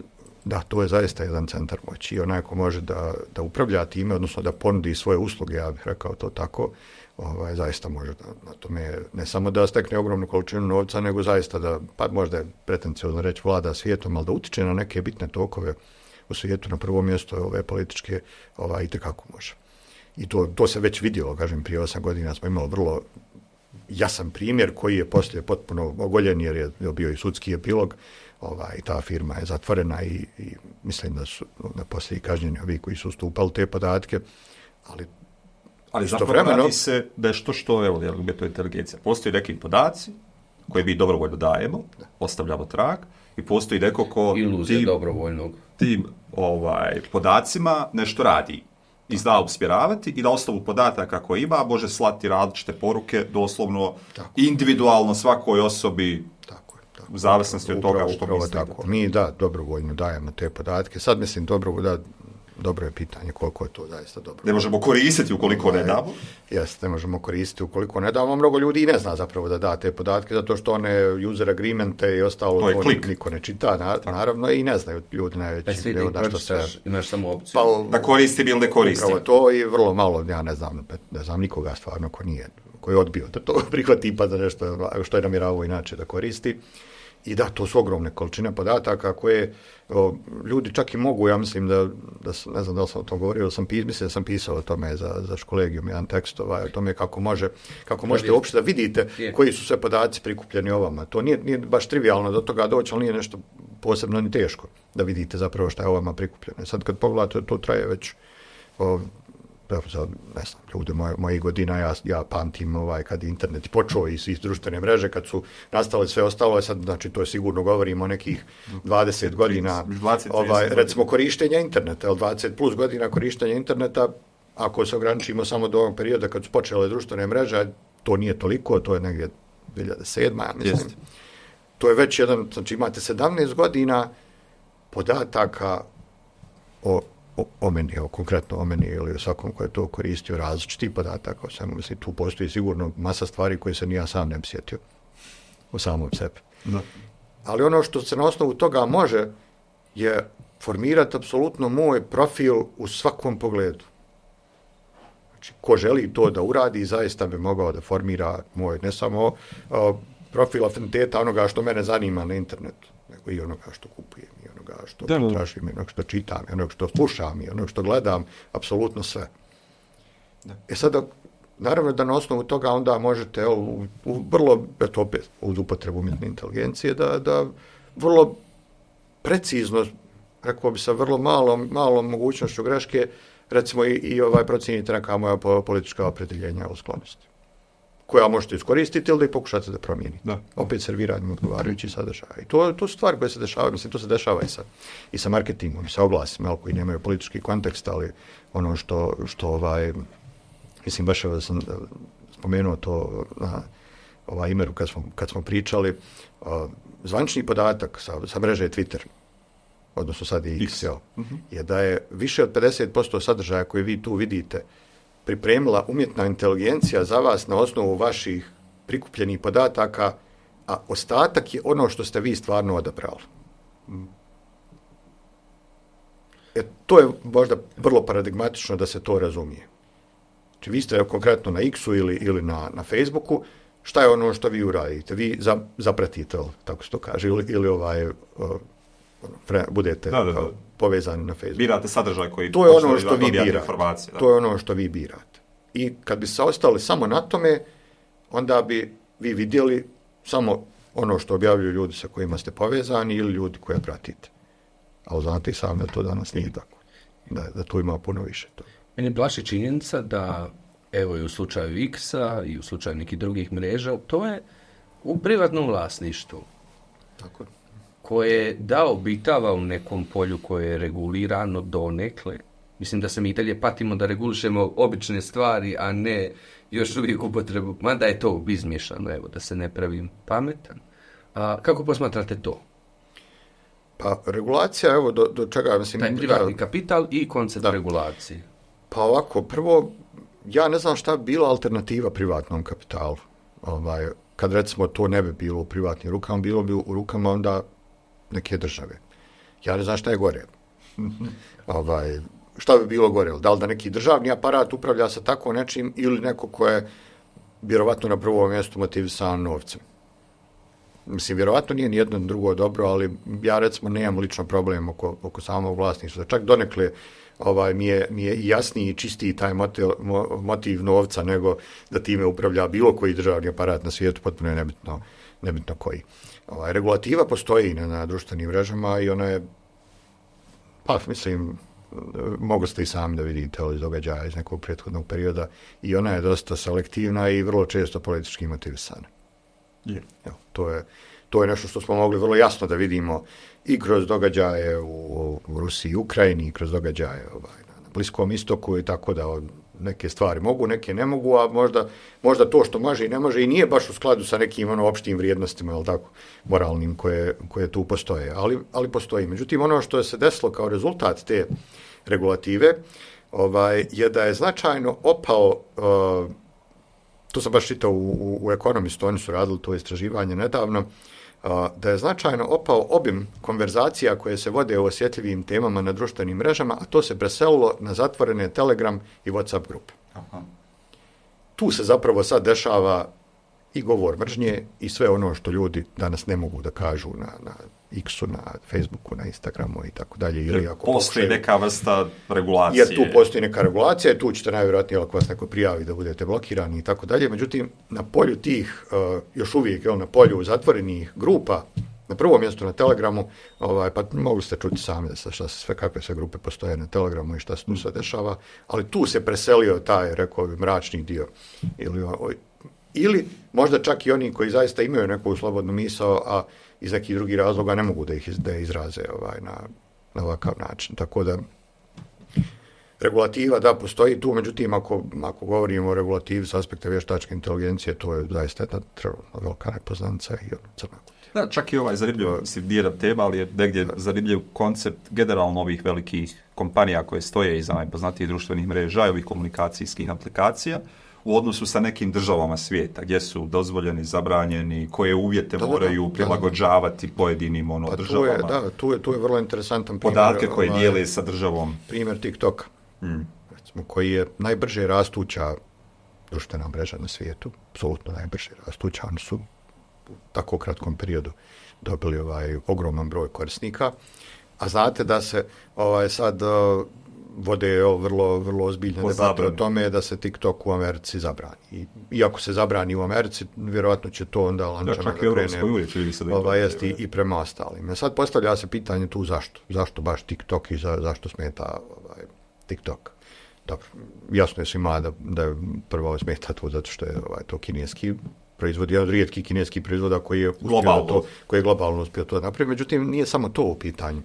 da, to je zaista jedan centar moći i onaj ko može da, da upravlja time, odnosno da ponudi svoje usluge, ja bih rekao to tako, ovaj, zaista može da, na tome ne samo da stekne ogromnu količinu novca, nego zaista da, pa možda je pretenciozno reći vlada svijetom, ali da utiče na neke bitne tokove u svijetu, na prvo mjesto ove političke, ovaj, itekako može. I to, to se već vidjelo, kažem, prije osam godina smo imali vrlo jasan primjer koji je poslije potpuno ogoljen jer je bio i sudski epilog, ovaj, ta firma je zatvorena i, i mislim da su da poslije i kažnjeni ovi koji su ustupali te podatke, ali Ali zapravo vremeno radi se da je što što, evo, je to inteligencija. Postoji neki podaci koje mi dobrovoljno dajemo, da. Ostavljamo trag, i postoji neko ko iluzija tim, dobrovoljnog. Tim ovaj, podacima nešto radi i zna usmjeravati i na osnovu podataka koje ima može slati različite poruke, doslovno tako. Individualno svakoj osobi tako je, tako. U zavisnosti od toga što misli. Tako. Mi da, dobrovoljno dajemo te podatke. Sad mislim dobro da dobro je pitanje koliko je to zaista dobro. Ne možemo koristiti ukoliko ne damo. Jeste, ne možemo koristiti ukoliko ne damo. Mnogo ljudi i ne zna zapravo da da te podatke, zato što one user agreemente i ostalo to to niko ne čita, na, naravno, i ne znaju ljudi najveći. Pa da što se... Imaš samo opciju. Pa, da koristim ili ne koristim. Upravo to i vrlo malo, ja ne znam, ne znam nikoga stvarno ko nije, ko je odbio da to prihvati pa da nešto što je namjeravao inače da koristi. I da, to su ogromne količine podataka koje o, ljudi čak i mogu, ja mislim da, da sam, ne znam da li sam o tom govorio, da sam, mislim da sam pisao o tome za, za školegijum, jedan tekst ovaj, o tome kako, može, kako možete uopšte da vidite koji su sve podaci prikupljeni o vama. To nije, nije baš trivialno do toga doći, ali nije nešto posebno ni teško da vidite zapravo šta je o vama prikupljeno. Sad kad pogledate, to traje već o, za, ne znam, ljudi moj, mojih godina, ja, ja pamtim ovaj, kad internet počeo i iz društvene mreže, kad su nastale sve ostalo, sad, znači, to je sigurno govorimo o nekih dvadeset godina, ovaj, recimo, korištenja interneta, dvadeset plus godina korištenja interneta, ako se ograničimo samo do ovog perioda kad su počele društvene mreže, to nije toliko, to je negdje dvije hiljade sedma, ja mislim. Jest. To je već jedan, znači, imate sedamnaest godina podataka o O, o meni, evo, konkretno o meni ili o svakom ko je to koristio različiti podataka o svemu. Mislim, tu postoji sigurno masa stvari koje se ni ja sam ne bi sjetio u samom sebi. Da. Ali ono što se na osnovu toga može je formirati apsolutno moj profil u svakom pogledu. Znači, ko želi to da uradi, zaista bi mogao da formira moj, ne samo o, profil afiniteta onoga što mene zanima na internetu, nego i onoga što kupujem, i onoga što tražim, i onoga što čitam, i onoga što slušam, i onoga što gledam, apsolutno sve. Da. E sada, naravno da na osnovu toga onda možete u, u vrlo, eto opet, uz upotrebu umjetne inteligencije, da, da vrlo precizno, rekao bi sa vrlo malom, malom mogućnošću greške, recimo i, i ovaj procijenite neka moja politička opredjeljenja o sklonosti, koja možete iskoristiti ili da ih pokušate da promijenite. Da. Opet serviranjem odgovarajući sadržaja. I to, to su stvari koje se dešavaju, mislim, to se dešava i sa, i sa marketingom, i sa oglasima, koji nemaju politički kontekst, ali ono što, što ovaj, mislim, baš da sam spomenuo to na ovaj imeru kad smo, kad smo pričali, uh, zvanični podatak sa, sa mreže Twitter, odnosno sad je X, X. Uh-huh. je da je više od pedeset posto sadržaja koje vi tu vidite pripremila umjetna inteligencija za vas na osnovu vaših prikupljenih podataka, a ostatak je ono što ste vi stvarno odabrali. Mm. E, to je možda vrlo paradigmatično da se to razumije. Znači, vi ste konkretno na X-u ili, ili na, na Facebooku, šta je ono što vi uradite? Vi za, zapratite, tako se to kaže, ili, ili ovaj, uh, fre, budete da, da, da. povezani na Facebooku. Birate sadržaj koji... To je ono što vi birate. To je ono što vi birate. I kad bi se ostali samo na tome, onda bi vi vidjeli samo ono što objavljuju ljudi sa kojima ste povezani ili ljudi koje pratite. Ali znate i sami da to danas nije tako. Da, da tu ima puno više toga. Meni plaši činjenica da, evo i u slučaju X-a i u slučaju nekih drugih mreža, to je u privatnom vlasništvu. Tako. Koje da obitava u nekom polju koje je regulirano donekle. Mislim da se mi i dalje patimo da regulišemo obične stvari, a ne još uvijek upotrebu. Mada je to izmiješano, evo, da se ne pravim pametan. A kako posmatrate to? Pa regulacija, evo, do, do čega... Mislim, taj privatni da, kapital i koncept da. regulacije. Pa ovako, prvo, ja ne znam šta bi bila alternativa privatnom kapitalu. Ovaj, kad recimo to ne bi bilo u privatnim rukama, bilo bi u rukama onda neke države. Ja ne znam šta je gore. ovaj, šta bi bilo gore? Da li da neki državni aparat upravlja sa tako nečim ili neko ko je vjerovatno na prvom mjestu motivisan novcem. Mislim, vjerovatno nije nijedno drugo dobro, ali ja recimo nemam lično problem oko, oko samog vlasništva. Čak donekle ovaj, mi, je, mi je jasniji i čistiji taj motiv, motiv novca nego da time upravlja bilo koji državni aparat na svijetu, potpuno je nebitno, nebitno koji. Ovaj, regulativa postoji na, na društvenim mrežama i ona je, pa mislim, mogli ste i sami da vidite iz događaja iz nekog prethodnog perioda, i ona je dosta selektivna i vrlo često politički motivisana. Yeah. Evo, to je, to je nešto što smo mogli vrlo jasno da vidimo i kroz događaje u, u Rusiji i Ukrajini, i kroz događaje ovaj, na Bliskom istoku, i tako da neke stvari mogu, neke ne mogu, a možda, možda to što može i ne može i nije baš u skladu sa nekim ono, opštim vrijednostima, ali tako, moralnim koje, koje tu postoje, ali, ali postoji. Međutim, ono što je se desilo kao rezultat te regulative ovaj, je da je značajno opao, uh, to sam baš čitao u, u, u Economistu, oni su radili to istraživanje nedavno, uh, da je značajno opao obim konverzacija koje se vode o osjetljivim temama na društvenim mrežama, a to se preselilo na zatvorene Telegram i WhatsApp grupe. Aha. Tu se zapravo sad dešava i govor mržnje i sve ono što ljudi danas ne mogu da kažu na, na X-u, na Facebooku, na Instagramu i tako dalje. Ili ako postoji pokušaju, neka vrsta regulacije. Jer tu postoji neka regulacija, tu ćete najvjerojatnije ako vas neko prijavi da budete blokirani i tako dalje. Međutim, na polju tih, uh, još uvijek, jel, na polju zatvorenih grupa, na prvom mjestu na Telegramu, ovaj, pa mogli ste čuti sami da se, šta se sve, kakve sve grupe postoje na Telegramu i šta se tu sve dešava, ali tu se preselio taj, rekao bi, mračni dio. Ili, o, ili možda čak i oni koji zaista imaju neku slobodnu misao, a iz nekih drugih razloga ne mogu da ih da izraze ovaj, na, na ovakav način. Tako da regulativa da postoji tu, međutim ako, ako govorimo o regulativi s aspekta vještačke inteligencije, to je zaista jedna velika nepoznanica i ono crna kutija. Da, čak i ovaj zanimljiv, mislim, nije tema, ali je negdje zanimljiv koncept generalno ovih velikih kompanija koje stoje iza najpoznatijih društvenih mreža i ovih komunikacijskih aplikacija u odnosu sa nekim državama svijeta, gdje su dozvoljeni, zabranjeni, koje uvjete da, moraju da, prilagođavati da. pojedinim ono, pa državama. Tu je, da, tu je, tu je vrlo interesantan primjer. Podatke koje ovaj, dijele sa državom. Primjer TikToka, hmm. recimo, koji je najbrže rastuća društvena mreža na svijetu, apsolutno najbrže rastuća, oni su u tako kratkom periodu dobili ovaj ogroman broj korisnika, a znate da se ovaj sad vode jel, vrlo, vrlo ozbiljne debate o tome da se TikTok u Americi zabrani. I, iako se zabrani u Americi, vjerojatno će to onda lančano da, da krene ovaj, jest, i, i prema ostalim. Sad postavlja se pitanje tu zašto. Zašto baš TikTok i za, zašto smeta ovaj, TikTok. Dobro, jasno je svima da, da prvo smeta to zato što je ovaj, to kineski proizvod, jedan od rijetkih kineskih proizvoda koji je uspio to, koji je globalno uspio to napraviti. Međutim, nije samo to u pitanju.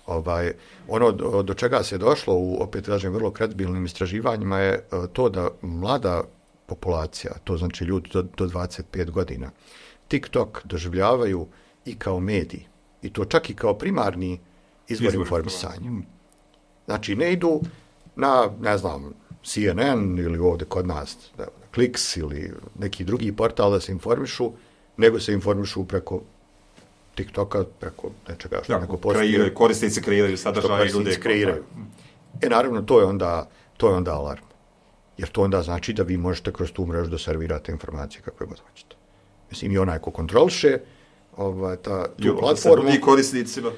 Ovaj, ono do, do čega se došlo u, opet kažem, vrlo kredibilnim istraživanjima je to da mlada populacija, to znači ljudi do, do dvadeset pet godina, TikTok doživljavaju i kao medij. I to čak i kao primarni izvor informisanja. Znači, ne idu na, ne znam, C N N ili ovdje kod nas, Kliks ili neki drugi portal da se informišu, nego se informišu preko TikToka, preko nečega što ja, neko postoji. Korisnici kreiraju sadržaje i ljudi kreiraju. E naravno, to je, onda, to je onda alarm. Jer to onda znači da vi možete kroz tu mrežu da servirate informacije kakve god hoćete. Mislim, i onaj ko kontroliše ovaj, ta, tu jo, platformu. I korisnicima.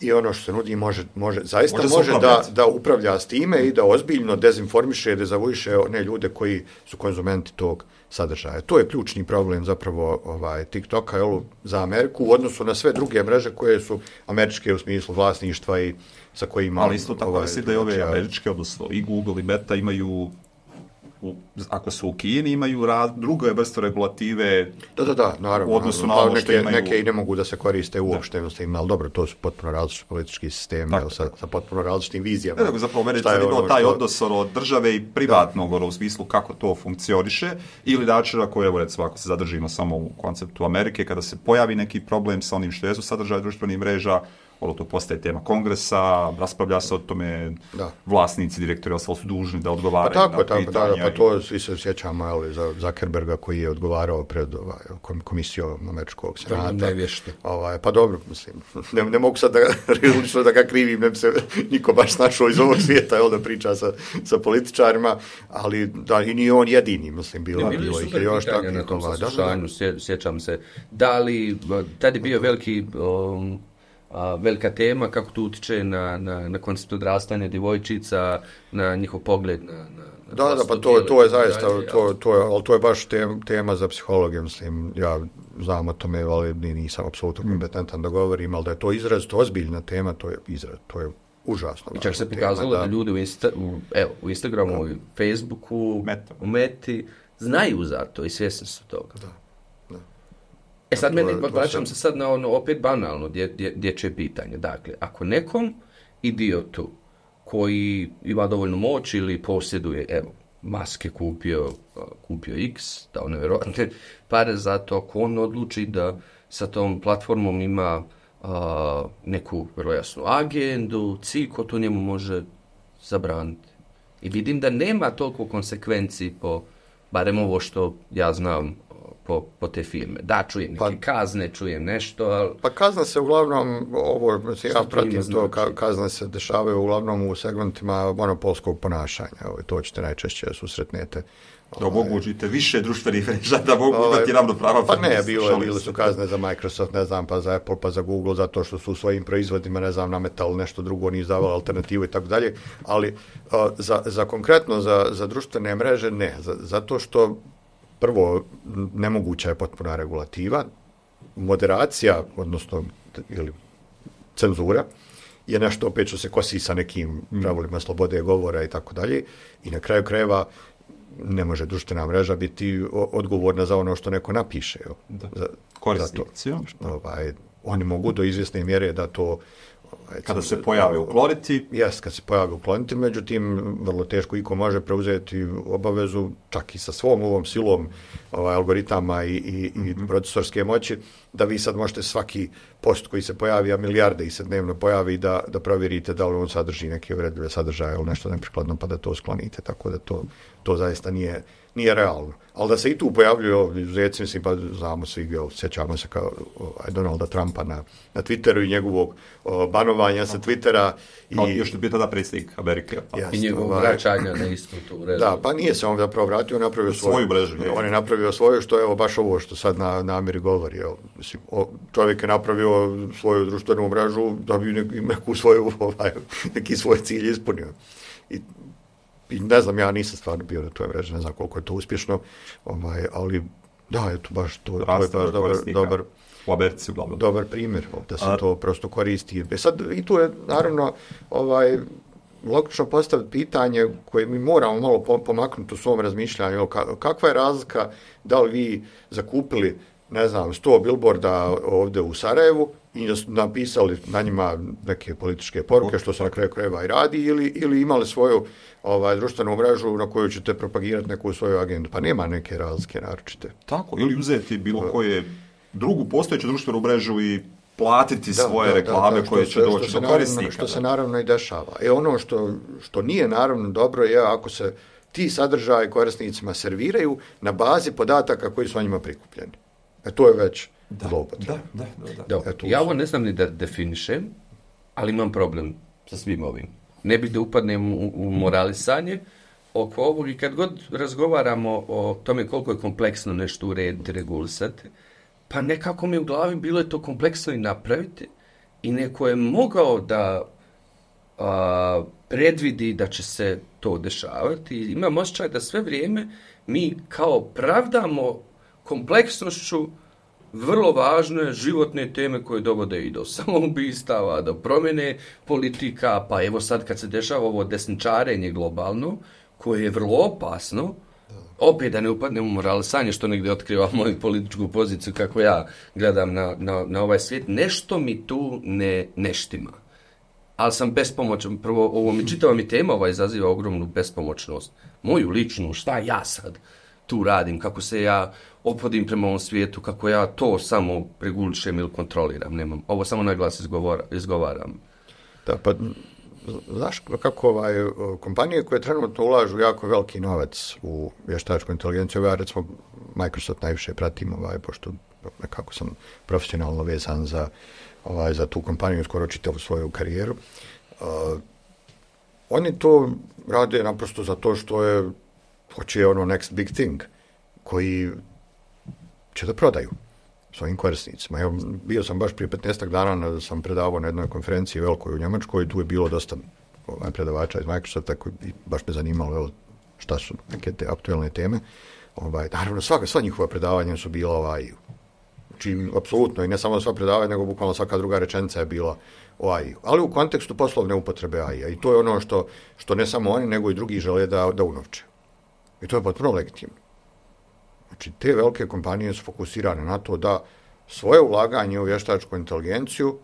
I ono što se nudi može, može zaista može, može da, da upravlja s time i da ozbiljno dezinformiše, dezavuiše one ljude koji su konzumenti tog sadržaja. To je ključni problem zapravo ovaj, TikToka jel, za Ameriku u odnosu na sve druge mreže koje su američke u smislu vlasništva i sa kojima... Ali isto tako ovaj, da i ove američke, odnosno i Google i Meta imaju... U, ako su u Kini, imaju rad, druge vrste regulative da, da, da, naravno, u odnosu naravno, na ono što neke, imaju... Neke i ne mogu da se koriste uopšte, da. Ali dobro, to su potpuno različiti politički sistemi, jel, sa, sa potpuno različitim vizijama. Ne, zapravo, mene je ono taj što... odnos ono, države i privatnog ono, u smislu kako to funkcioniše, ili načina koje, evo recimo, ako se zadržimo samo u konceptu Amerike, kada se pojavi neki problem sa onim što jesu sadržaje društvenih mreža, ono to postaje tema kongresa, raspravlja se o tome, da. Vlasnici, direktori, ostalo su dužni da odgovaraju pa tako, na tako, pitanja. Da, da, pa to svi se sjećamo ali, za Zuckerberga koji je odgovarao pred ovaj, komisijom američkog senata. Ovaj, pa dobro, mislim, ne, ne mogu sad da, da ga krivim, ne bi se niko baš našao iz ovog svijeta, jel, da priča sa, sa političarima, ali da i nije on jedini, mislim, bilo, ne, bilo ih je još takvih. Na tom saslušanju, sjećam se, da li, tad je bio veliki... Um, A, velika tema, kako to utiče na, na, na koncept odrastanja djevojčica, na njihov pogled na, na, na da, da, pa to, to je zaista, to, to, je, ali to je baš tem, tema za psihologiju, mislim, ja znam o tome, ali nisam apsolutno kompetentan da govorim, ali da je to izrazito ozbiljna tema, to je izraz, to je užasno. I čak se pokazalo da, da ljudi u, Insta, u, evo, u Instagramu, u Facebooku, Meta. U Meti, znaju za to i svjesni su toga. Da. E sad meni, vraćam se sad na ono opet banalno dje, dje, dječje pitanje. Dakle, ako nekom idiotu koji ima dovoljno moć ili posjeduje, evo, maske kupio, kupio X, dao nevjerojatne pare za to, ako on odluči da sa tom platformom ima a, neku vrlo jasnu agendu, cilj ko to njemu može zabraniti. I vidim da nema toliko konsekvenciji po, barem ovo što ja znam, Po, po te firme. Da, čujem neke pa, kazne, čujem nešto, ali... Pa kazne se uglavnom, ovo, ja pratim to, znači? Kazne se dešavaju uglavnom u segmentima monopolskog ponašanja. Ovo, to ćete najčešće susretnete. Da omogućite više društvenih mreža, da mogu ovaj, imati ravnopravan. Pa ne, bilo, bile su kazne za Microsoft, ne znam, pa za Apple, pa za Google, zato što su u svojim proizvodima, ne znam, nametali nešto drugo, nije izdavali alternativu i tako dalje, ali a, za, za konkretno, za, za društvene mreže, ne, za, zato što prvo, nemoguća je potpuna regulativa, moderacija, odnosno ili cenzura, je nešto opet što se kosi sa nekim pravilima slobode govora i tako dalje. I na kraju krajeva ne može društvena mreža biti odgovorna za ono što neko napiše. Da. Za, korisnici. Ovaj, oni mogu do izvjesne mjere da to... Ovaj, kada se pojave ukloniti. Jes, kad se pojave ukloniti, međutim, vrlo teško iko može preuzeti obavezu, čak i sa svom ovom silom ovaj, algoritama i, i, mm-hmm. i procesorske moći, da vi sad možete svaki post koji se pojavi, a milijarde ih se dnevno pojavi, da, da provjerite da li on sadrži neke uvredljive sadržaje ili nešto neprikladno, pa da to sklonite, tako da to, to zaista nije, nije realno. Ali da se i tu pojavljuju izuzeci, mislim, pa znamo svi, sjećamo se kao ovaj, Donalda Trumpa na, na Twitteru i njegovog o, banovanja sa Twittera. I on još je bio tada predsjednik Amerike. Pa. Jest, I njegovog ovaj, vraćanja na istu tu mrežu. Da, pa nije se on zapravo vratio, on je napravio svoju, svoju mrežu. On je napravio svoju, što je baš ovo što sad na, na Ameri govori. Jel. Mislim, o, čovjek je napravio svoju društvenu mrežu da bi neku svoju, ovaj, neki svoj cilj ispunio. i, i ne znam, ja nisam stvarno bio na toj mreži, ne znam koliko je to uspješno, ovaj, ali da, eto, baš to, to je baš dobar, dobar, u Americi, uglavnom. Dobar primjer, da se A... to prosto koristi. E sad, i tu je, naravno, ovaj, logično postaviti pitanje koje mi moramo malo pomaknuti u svom razmišljanju. Kakva je razlika da li vi zakupili, ne znam, sto billboarda ovdje u Sarajevu i napisali na njima neke političke poruke, što se na kraju krajeva i radi, ili, ili imali svoju ovaj, društvenu mrežu na koju ćete propagirati neku svoju agendu. Pa nema neke razlike naročite. Tako, ili uzeti bilo koje drugu postojeću društvenu mrežu i platiti da, svoje da, reklame da, da, koje će što, doći što do korisnika. Što se naravno i dešava. E ono što, što nije naravno dobro je ako se ti sadržaji korisnicima serviraju na bazi podataka koji su o njima prikupljeni. E to je već zloupotreba. Da, da, da. da. da. Ja ovo ne znam ni da definišem, ali imam problem sa svim ovim. Ne bi da upadnem u, u moralisanje oko ovog i kad god razgovaramo o tome koliko je kompleksno nešto urediti, regulisati, pa nekako mi u glavi bilo je to kompleksno i napraviti i neko je mogao da a, predvidi da će se to dešavati. I imam osjećaj da sve vrijeme mi kao pravdamo kompleksnošću vrlo važne životne teme koje dovode i do samoubistava, do promjene politika, pa evo sad kad se dešava ovo desničarenje globalno, koje je vrlo opasno, opet da ne upadnem u moralisanje što negdje otkriva moju političku poziciju kako ja gledam na, na, na ovaj svijet, nešto mi tu ne, ne štima. Ali sam bespomoćan, prvo ovo mi čitava mi tema ova izaziva ogromnu bespomoćnost. Moju ličnu, šta ja sad tu radim, kako se ja ophodim prema ovom svijetu, kako ja to samo regulišem ili kontroliram. Nemam, ovo samo na glas izgovora, izgovaram. Da, pa znaš kako ovaj, kompanije koje trenutno ulažu jako veliki novac u vještačku inteligenciju, ja recimo Microsoft najviše pratim, ovaj, pošto nekako sam profesionalno vezan za, ovaj, za tu kompaniju skoro čitavu svoju karijeru. Uh, oni to rade naprosto zato što je hoće ono next big thing koji će da prodaju svojim korisnicima. Evo, bio sam baš prije petnaestak dana, sam predavao na jednoj konferenciji velikoj u Njemačkoj, tu je bilo dosta ovaj, predavača iz Microsofta koji baš me zanimalo evo, šta su neke te aktuelne teme. Ovaj, naravno, svaka, sva njihova predavanja su bila ovaj, znači, apsolutno, i ne samo sva predavanja, nego bukvalno svaka druga rečenica je bila o A I. Ali u kontekstu poslovne upotrebe A I. I to je ono što, što ne samo oni, nego i drugi žele da, da unovče. I to je potpuno legitimno. Znači, te velike kompanije su fokusirane na to da svoje ulaganje u vještačku inteligenciju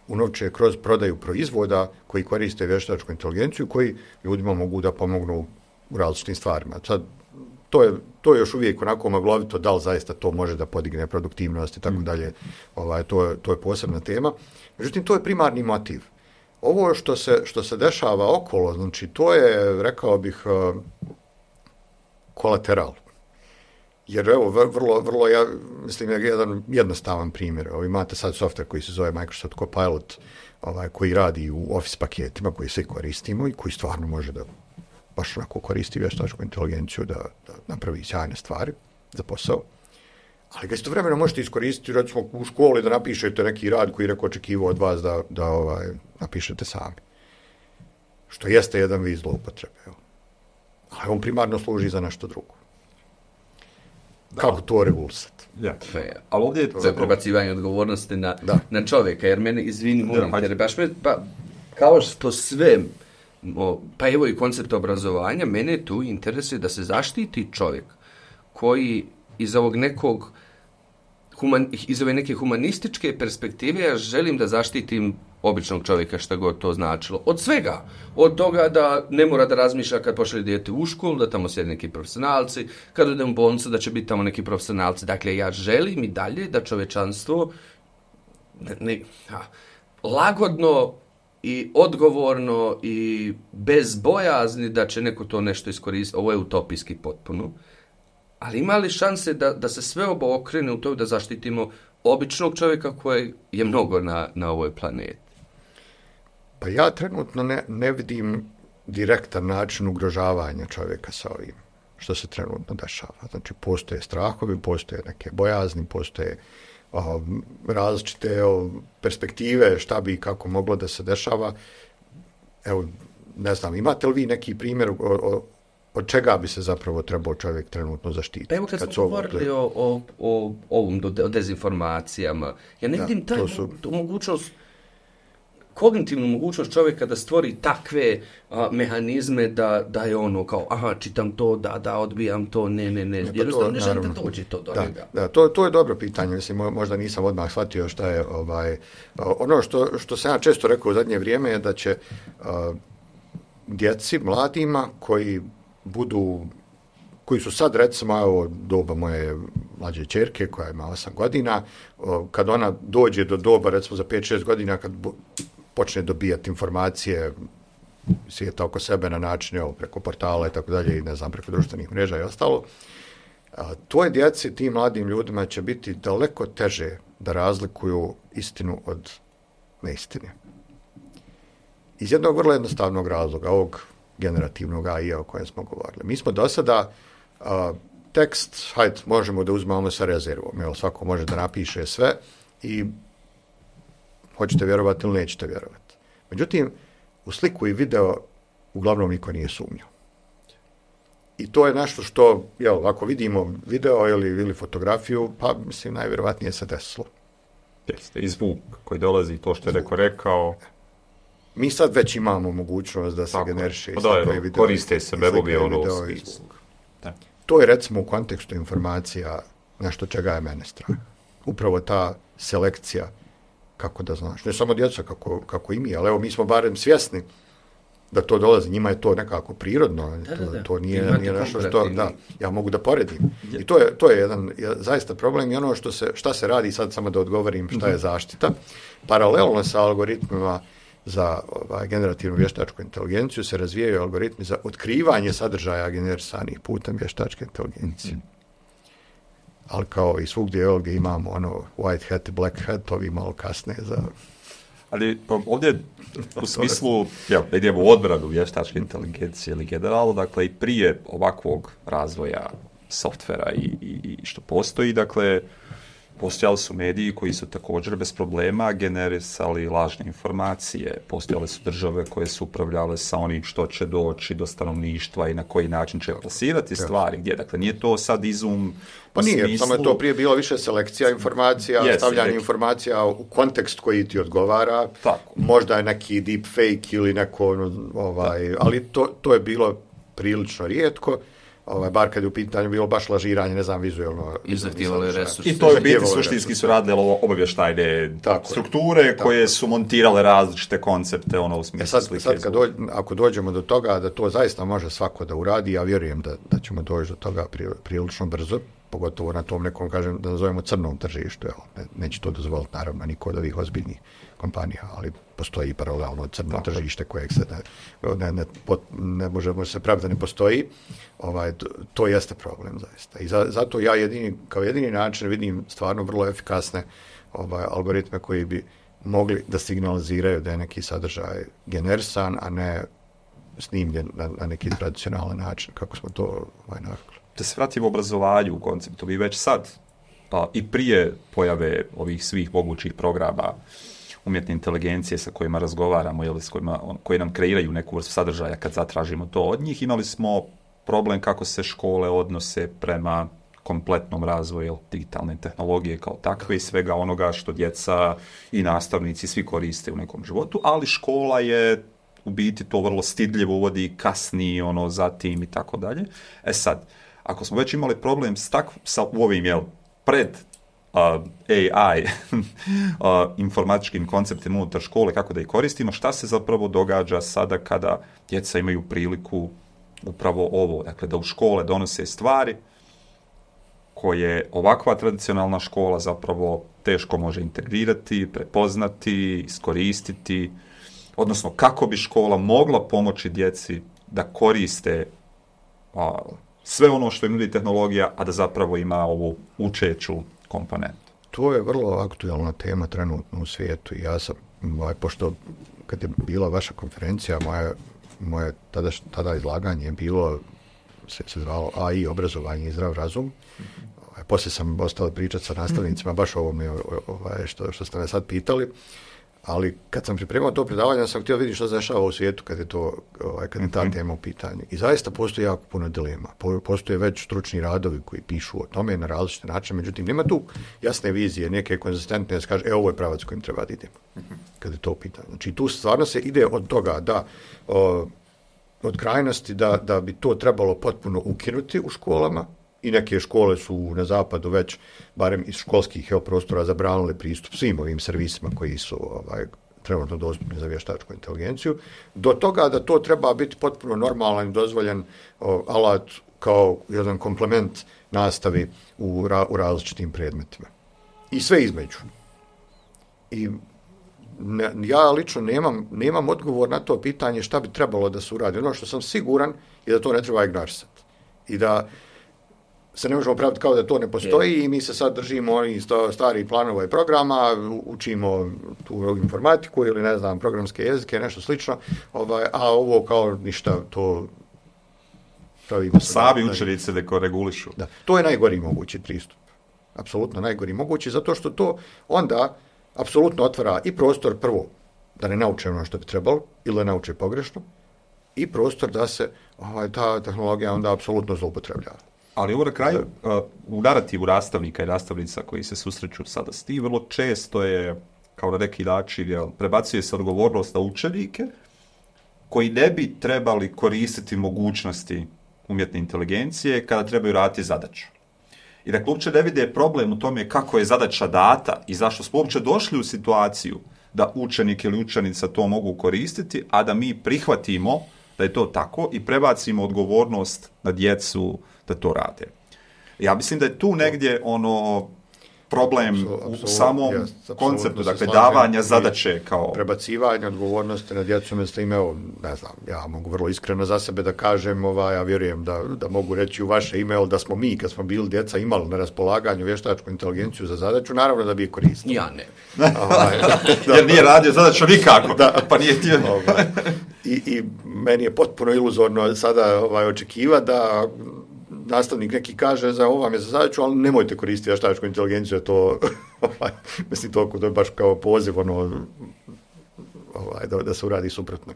unovče kroz prodaju proizvoda koji koriste vještačku inteligenciju, koji ljudima mogu da pomognu u različitim stvarima. Sad, to je, to je još uvijek onako maglovito, da li zaista to može da podigne produktivnost i tako dalje. Ovaj, to, je, to je posebna tema. Međutim, to je primarni motiv. Ovo što se, što se dešava okolo, znači, to je, rekao bih, kolateral. Jer evo, vrlo, vrlo ja, mislim, je jedan jednostavan primjer. Evo, imate sad software koji se zove Microsoft Copilot, ovaj, koji radi u Office paketima, koji svi koristimo i koji stvarno može da baš onako koristi vještačku inteligenciju da, da napravi sjajne stvari za posao. Ali ga istovremeno možete iskoristiti, recimo, u školi da napišete neki rad koji je neko očekivao od vas da, da ovaj, napišete sami. Što jeste jedan vid zloupotrebe. Evo. Ali on primarno služi za nešto drugo. Da. Kako to regulisati? Ja. Ali ovdje je to je prebacivanje odgovornosti na, na čovjeka, jer mene, izvini, molim, jer baš me, pa, kao što sve, o, pa evo i koncept obrazovanja, mene tu interesuje da se zaštiti čovjek koji iz ovog nekog, human, iz ove neke humanističke perspektive, ja želim da zaštitim običnog čovjeka, šta god to značilo. Od svega. Od toga da ne mora da razmišlja kad pošalje dijete u školu, da tamo sjede neki profesionalci, kad idem u bolnicu da će biti tamo neki profesionalci. Dakle, ja želim i dalje da čovječanstvo ne, ne, ha, lagodno i odgovorno i bez bojazni da će neko to nešto iskoristiti. Ovo je utopijski potpuno. Ali ima li šanse da, da se sve ovo okrene u to da zaštitimo običnog čovjeka koji je mnogo na, na ovoj planeti? Pa ja trenutno ne, ne vidim direktan način ugrožavanja čovjeka sa ovim što se trenutno dešava. Znači, postoje strahovi, postoje neke bojazni, postoje o, različite o, perspektive šta bi i kako moglo da se dešava. Evo, ne znam, imate li vi neki primjer o, o, od čega bi se zapravo trebao čovjek trenutno zaštititi? Pa evo kad, kad smo govorili o, o, o ovom, o dezinformacijama, ja ne vidim taj su... mogućnost, kognitivnu mogućnost čovjeka da stvori takve a, mehanizme da, da je ono kao, aha, čitam to, da, da, odbijam to, ne, ne, ne, jednostavno ne želim da dođe to do da, njega. Da, to, to je dobro pitanje, mislim, možda nisam odmah shvatio šta je, ovaj, ono što, što sam ja često rekao u zadnje vrijeme je da će a, djeci, mladima koji budu, koji su sad recimo, evo, doba moje mlađe ćerke koja ima osam godina, o, kad ona dođe do doba recimo za pet šest godina kad bu, počne dobijati informacije svijeta oko sebe na način, evo, preko portala i tako dalje i ne znam, preko društvenih mreža i ostalo, a, toj djeci, tim mladim ljudima će biti daleko teže da razlikuju istinu od neistine. Iz jednog vrlo jednostavnog razloga, ovog generativnog A I o kojem smo govorili. Mi smo do sada a, tekst, hajde, možemo da uzmemo sa rezervom, jel, svako može da napiše sve i hoćete vjerovati ili nećete vjerovati. Međutim, u sliku i video uglavnom niko nije sumnjao. I to je nešto što, jel, ako vidimo video ili, ili fotografiju, pa mislim, najvjerovatnije se desilo. Jeste, i zvuk koji dolazi, to što je neko rekao. Mi sad već imamo mogućnost da se tako generiše i slika i video. Koriste se bebovi ono to je recimo u kontekstu informacija nešto čega je mene strah. Upravo ta selekcija, kako da znaš, ne samo djeca kako, kako i mi, ali evo mi smo barem svjesni da to dolazi, njima je to nekako prirodno, da, to, da, to nije, nije nešto što, da, ja mogu da poredim. I to je, to je jedan je, zaista problem i ono što se, šta se radi, sad samo da odgovorim šta je zaštita, paralelno sa algoritmima za ovaj, generativnu vještačku inteligenciju se razvijaju algoritmi za otkrivanje sadržaja generisanih putem vještačke inteligencije. Mm. Ali kao i svugdje ovdje imamo ono white hat i black hat, ovi malo kasne za... Ali ovdje u smislu, ja, idemo u odbranu vještačke inteligencije ili generalno, dakle i prije ovakvog razvoja softvera i, i, i što postoji, dakle, postojali su mediji koji su također bez problema generisali lažne informacije. Postojale su države koje su upravljale sa onim što će doći do stanovništva i na koji način će plasirati stvari. Gdje? Dakle, nije to sad izum... Pa nije, smislu... samo je to prije bilo više selekcija informacija, yes, stavljanje neki... informacija u kontekst koji ti odgovara. Tako. Možda je neki deep fake ili neko... Ovaj, ali to, to je bilo prilično rijetko. Ovaj, bar kad je u pitanju bilo baš lažiranje, ne znam, vizualno. I zahtijevali resurse. I to je biti suštinski su radile ovo obavještajne tako strukture je, koje tako su montirale različite koncepte, ono u smislu e sad, slike. Sad kad dođe, ako dođemo do toga da to zaista može svako da uradi, ja vjerujem da, da ćemo doći do toga prilično brzo, pogotovo na tom nekom, kažem, da nazovemo crnom tržištu. Evo, ne, neće to dozvoliti, naravno, niko od ovih ozbiljnih kompanija, ali postoji paralelno crno tako tržište kojeg se ne, ne, ne, pot, ne možemo se praviti da ne postoji. Ovaj, to, to jeste problem zaista. I za, zato ja jedini, kao jedini način vidim stvarno vrlo efikasne ovaj, algoritme koji bi mogli da signaliziraju da je neki sadržaj generisan, a ne snimljen na, na neki tradicionalan način, kako smo to ovaj, navikli. Da se vratimo obrazovanju u konceptu, vi već sad, pa i prije pojave ovih svih mogućih programa umjetne inteligencije sa kojima razgovaramo ili s kojima, on, koji nam kreiraju neku vrstu sadržaja kad zatražimo to od njih, imali smo problem kako se škole odnose prema kompletnom razvoju digitalne tehnologije kao takve i svega onoga što djeca i nastavnici svi koriste u nekom životu, ali škola je u biti to vrlo stidljivo uvodi, kasni ono zatim i tako dalje. E sad, ako smo već imali problem s, tak, sa u ovim jel, pred uh, A I uh, informatičkim konceptima unutar škole, kako da ih koristimo, šta se zapravo događa sada kada djeca imaju priliku upravo ovo, dakle da u škole donose stvari koje ovakva tradicionalna škola zapravo teško može integrirati, prepoznati, iskoristiti, odnosno kako bi škola mogla pomoći djeci da koriste a, sve ono što im nudi tehnologija, a da zapravo ima ovu učeću komponentu. To je vrlo aktualna tema trenutno u svijetu i ja sam, ovaj, pošto kad je bila vaša konferencija, moje, moje tada, tada izlaganje je bilo, se, se zvalo A I, obrazovanje i zdrav razum. Mm-hmm. Ovaj, poslije sam ostao pričati sa nastavnicima, baš ovo mi, ovaj, što, što ste me sad pitali. Ali kad sam pripremao to predavanje, sam htio vidjeti što se dešava u svijetu kad je to, ovaj, kad je ta Mhm. tema u pitanju. I zaista postoji jako puno dilema. Po- Postoje već stručni radovi koji pišu o tome na različite načine, međutim, nema tu jasne vizije, neke konzistentne, da se kaže, e, ovo je pravac kojim treba da idemo. Kad je to u pitanju. Znači, tu stvarno se ide od toga da, o, od krajnosti da, da bi to trebalo potpuno ukinuti u školama, i neke škole su na zapadu već, barem iz školskih jel, prostora, zabranile pristup svim ovim servisima koji su ovaj, trenutno dostupni za vještačku inteligenciju, do toga da to treba biti potpuno normalan i dozvoljen o, alat kao jedan komplement nastavi u, ra, u različitim predmetima. I sve između. I ne, ja lično nemam, nemam odgovor na to pitanje šta bi trebalo da se uradi. Ono što sam siguran je da to ne treba ignorisati. I da se ne možemo praviti kao da to ne postoji i mi se sad držimo onih starih planova i programa, učimo tu informatiku ili ne znam, programske jezike, nešto slično, ovaj, a ovo kao ništa, to pravimo. Sami učenici da regulišu. Da, to je najgori mogući pristup. Apsolutno najgori mogući, zato što to onda apsolutno otvara i prostor prvo da ne nauče ono što bi trebalo ili da nauče pogrešno i prostor da se ovaj, ta tehnologija onda apsolutno zloupotrebljava. Ali ovo na kraju, uh, u narativu nastavnika i nastavnica koji se susreću sada s tim, vrlo često je, kao na neki način, jel, prebacuje se odgovornost na učenike koji ne bi trebali koristiti mogućnosti umjetne inteligencije kada trebaju raditi zadaću. I dakle, uopće ne vide problem u tome kako je zadaća data i zašto smo uopće došli u situaciju da učenik ili učenica to mogu koristiti, a da mi prihvatimo da je to tako i prebacimo odgovornost na djecu da to rade. Ja mislim da je tu negdje ono problem Absolut, u samom jest, konceptu, dakle, slažem. davanja zadaće kao... Prebacivanje odgovornosti na djecu, mjesto im, evo, ne znam, ja mogu vrlo iskreno za sebe da kažem, ovaj, ja vjerujem da, da mogu reći u vaše ime, da smo mi, kad smo bili djeca, imali na raspolaganju vještačku inteligenciju za zadaću, naravno da bi je koristili. Ja ne. Ovaj, da, Jer nije radio zadaću nikako, Da. pa nije htio... ovaj, i, I meni je potpuno iluzorno sada ovaj, očekiva da nastavnik neki kaže za ovo vam je za zadaću, ali nemojte koristiti vještačku inteligenciju, to, ovaj, mislim, to, to je baš kao poziv, ono, ovaj, da, da se uradi suprotno.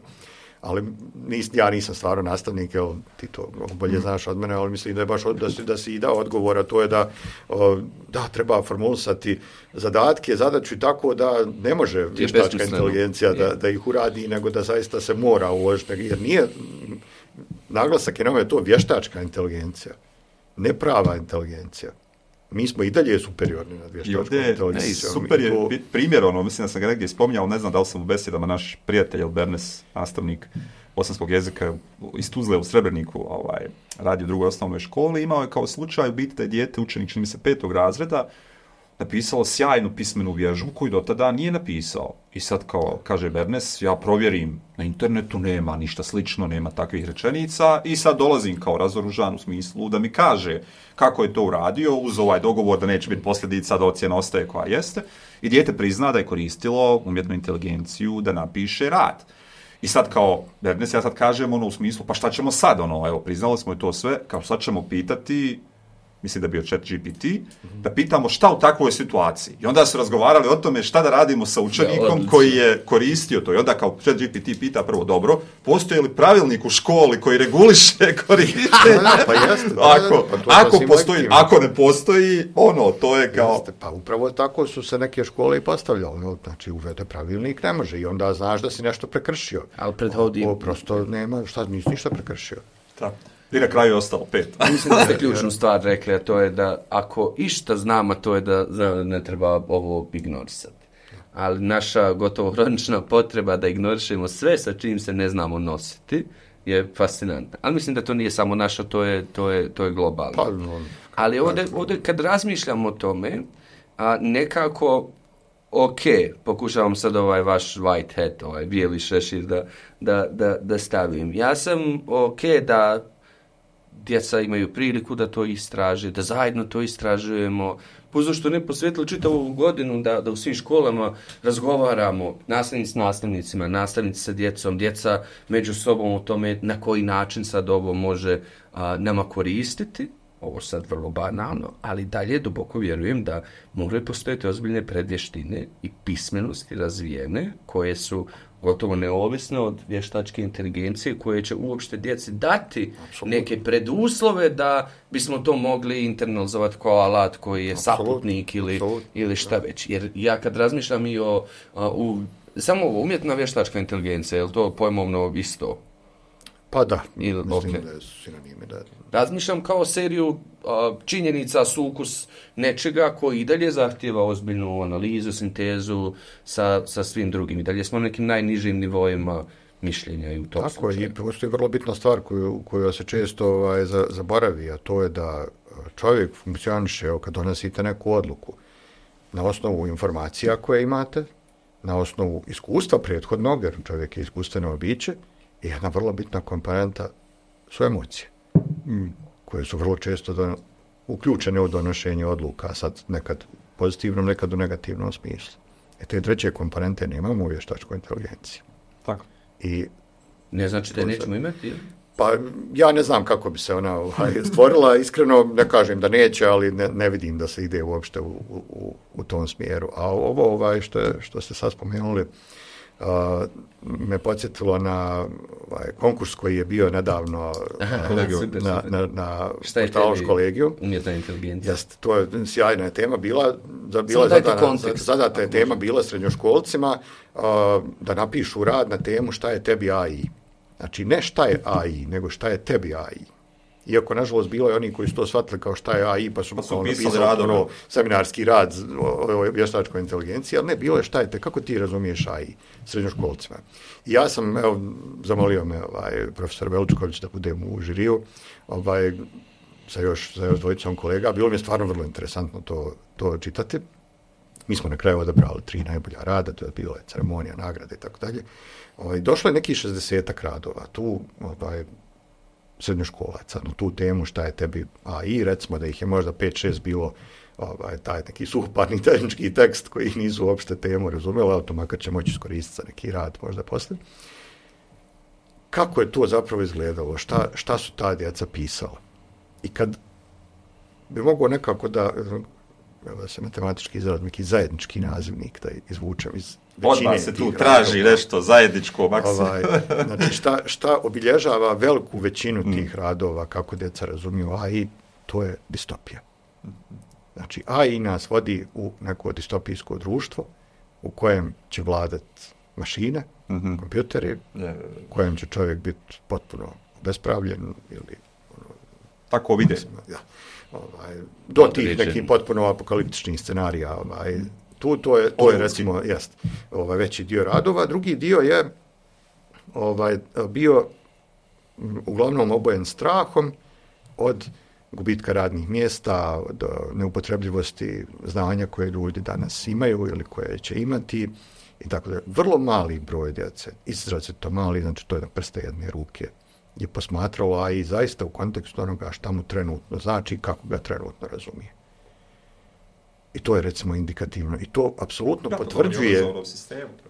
Ali nis, ja nisam stvarno nastavnik, jel, ti to bolje znaš od mene, ali mislim da je baš od, da, si, da si i dao odgovor, a to je da, o, da treba formulisati zadatke, zadaću i tako da ne može vještačka inteligencija da, da ih uradi, nego da zaista se mora uložiti, jer nije, naglasak je na ovome to vještačka inteligencija, ne prava inteligencija. Mi smo i dalje superiorni nad vještačkom inteligencijom. Super je to... primjer, ono, mislim da sam ga negdje spominjao, ne znam da li sam u besedama, naš prijatelj Bernes, nastavnik bosanskog jezika iz Tuzle u Srebreniku, ovaj, radi u drugoj osnovnoj školi, imao je kao slučaj u biti da je dijete, učenik, čini mi se, petog razreda, napisalo sjajnu pismenu vježbu koju do tada nije napisao. I sad, kao kaže Bernes, ja provjerim, na internetu nema ništa slično, nema takvih rečenica i sad dolazim kao razoružan u smislu da mi kaže kako je to uradio uz ovaj dogovor da neće biti posljedica, da ocjena ostaje koja jeste. I dijete prizna da je koristilo umjetnu inteligenciju da napiše rad. I sad kao Bernes, ja sad kažem ono u smislu, pa šta ćemo sad, ono, evo, priznali smo i to sve, kao sad ćemo pitati, mislim da je bio Chat G P T, da pitamo šta u takvoj situaciji. I onda su razgovarali o tome šta da radimo sa učenikom ja, koji je koristio to. I onda kao Chat G P T pita prvo, dobro, postoji li pravilnik u školi koji reguliše korištenje? Pa jeste. Ako, pa ako, postoji, ako ne postoji, ono, to je kao... Jeste, pa upravo tako su se neke škole i postavljale. Znači, uvede pravilnik, ne može. I onda znaš da si nešto prekršio. Ali prethodi... O, prosto nema, šta, nisi ništa prekršio. Tako. I na kraju je ostalo pet. Mislim da ste ključnu stvar rekli, a to je da ako išta znam, a to je da ne treba ovo ignorisati. Ali naša gotovo hronična potreba da ignorišemo sve sa čim se ne znamo nositi je fascinantna. Ali mislim da to nije samo naša, to je, to je, to je globalno. Pa, no, ali ovdje, ovdje kad razmišljamo o tome, a nekako ok, pokušavam sad ovaj vaš white hat, ovaj bijeli šešir da, da, da, da stavim. Ja sam ok da djeca imaju priliku da to istraže, da zajedno to istražujemo. Puzo što ne posvetili čitavu godinu da, da u svim školama razgovaramo, nastavnici s nastavnicima, nastavnici sa djecom, djeca među sobom o tome na koji način sad ovo može a, nama koristiti. ovo sad vrlo banalno, ali dalje duboko vjerujem da moraju postojati ozbiljne predvještine i pismenosti razvijene, koje su gotovo neovisne od vještačke inteligencije, koje će uopšte djeci dati Absolutno. neke preduslove da bismo to mogli internalizovati kao alat koji je Absolutno. saputnik ili, ili šta već. Jer ja kad razmišljam i o a, u, samo ovo umjetna vještačka inteligencija, je li to pojmovno isto? Pa da, Ili, mislim okay. da je sinonimi. Da. Razmišljam kao seriju a, činjenica, sukus nečega koji i dalje zahtijeva ozbiljnu analizu, sintezu sa, sa svim drugim. I dalje smo na nekim najnižim nivoima mišljenja i u tom Tako je, i postoji vrlo bitna stvar koju, koju se često ovaj, zaboravi, a to je da čovjek funkcioniše, evo, kad donosite neku odluku, na osnovu informacija koje imate, na osnovu iskustva prethodnog, jer čovjek je iskustveno biće, i jedna vrlo bitna komponenta su emocije, mm. koje su vrlo često don, uključene u donošenje odluka, sad nekad pozitivnom, nekad u negativnom smislu. E te treće komponente nemamo u vještačkoj inteligenciji. Tako. I ne znači da je nećemo imati? Pa ja ne znam kako bi se ona ovaj, stvorila, iskreno ne kažem da neće, ali ne, ne vidim da se ide uopšte u, u, u tom smjeru. A ovo ovaj, što, je, što ste sad spomenuli, Uh, me podsjetilo na ovaj, konkurs koji je bio nedavno Aha, na, kolegiju, super, na, super. na, na portalu kolegiju. Umjetna inteligencija. Jest, to je sjajna tema bila. Da, bila zadana, zadata je tema bila srednjoškolcima uh, da napišu rad na temu šta je tebi A I. Znači ne šta je A I, nego šta je tebi A I. Iako, nažalost, bilo je oni koji su to shvatili kao šta je A I, pa su, pa su napisali ono, seminarski rad o, o vještačkoj inteligenciji, ali ne, bilo je šta je te, kako ti razumiješ A I srednjoškolcima. I ja sam, evo, zamolio me ovaj, profesor Veličković da budem u žiriju, ovaj, sa još, sa još dvojicom kolega, bilo mi je stvarno vrlo interesantno to, to čitati. Mi smo na kraju odabrali tri najbolja rada, to je bila ceremonija, nagrade i tako dalje. Ovaj, došlo je neki šezdesetak radova, tu, ovaj, srednjoškolaca na tu temu šta je tebi A I, recimo da ih je možda pet šest bilo ovaj, taj neki suhoparni tehnički tekst koji nisu uopšte temu razumjeli, ali to makar će moći iskoristiti za neki rad možda poslije. Kako je to zapravo izgledalo? Šta, šta su ta djeca pisala? I kad bi mogao nekako da, da se matematički izrazim, neki zajednički nazivnik da izvučem iz većine. Odmah se tu traži radova, nešto zajedničko maksimum. Ovaj, znači šta, šta obilježava veliku većinu tih radova, kako djeca razumiju A I, to je distopija. Znači A I nas vodi u neko distopijsko društvo u kojem će vladat mašine, mm-hmm. kompjuteri, u kojem će čovjek biti potpuno bespravljen ili ono, tako vide. Ja, ovaj, do tih nekih potpuno apokaliptičnih scenarija. Ovaj, tu to je, to je recimo jest, ovaj, veći dio radova. Drugi dio je ovaj, bio uglavnom obojen strahom od gubitka radnih mjesta, od neupotrebljivosti znanja koje ljudi danas imaju ili koje će imati i tako da. Vrlo mali broj djece, izrazito mali, znači to je na prste jedne ruke, je posmatralo A I zaista u kontekstu onoga šta mu trenutno znači i kako ga trenutno razumije. I to je recimo indikativno. I to apsolutno ja, potvrđuje,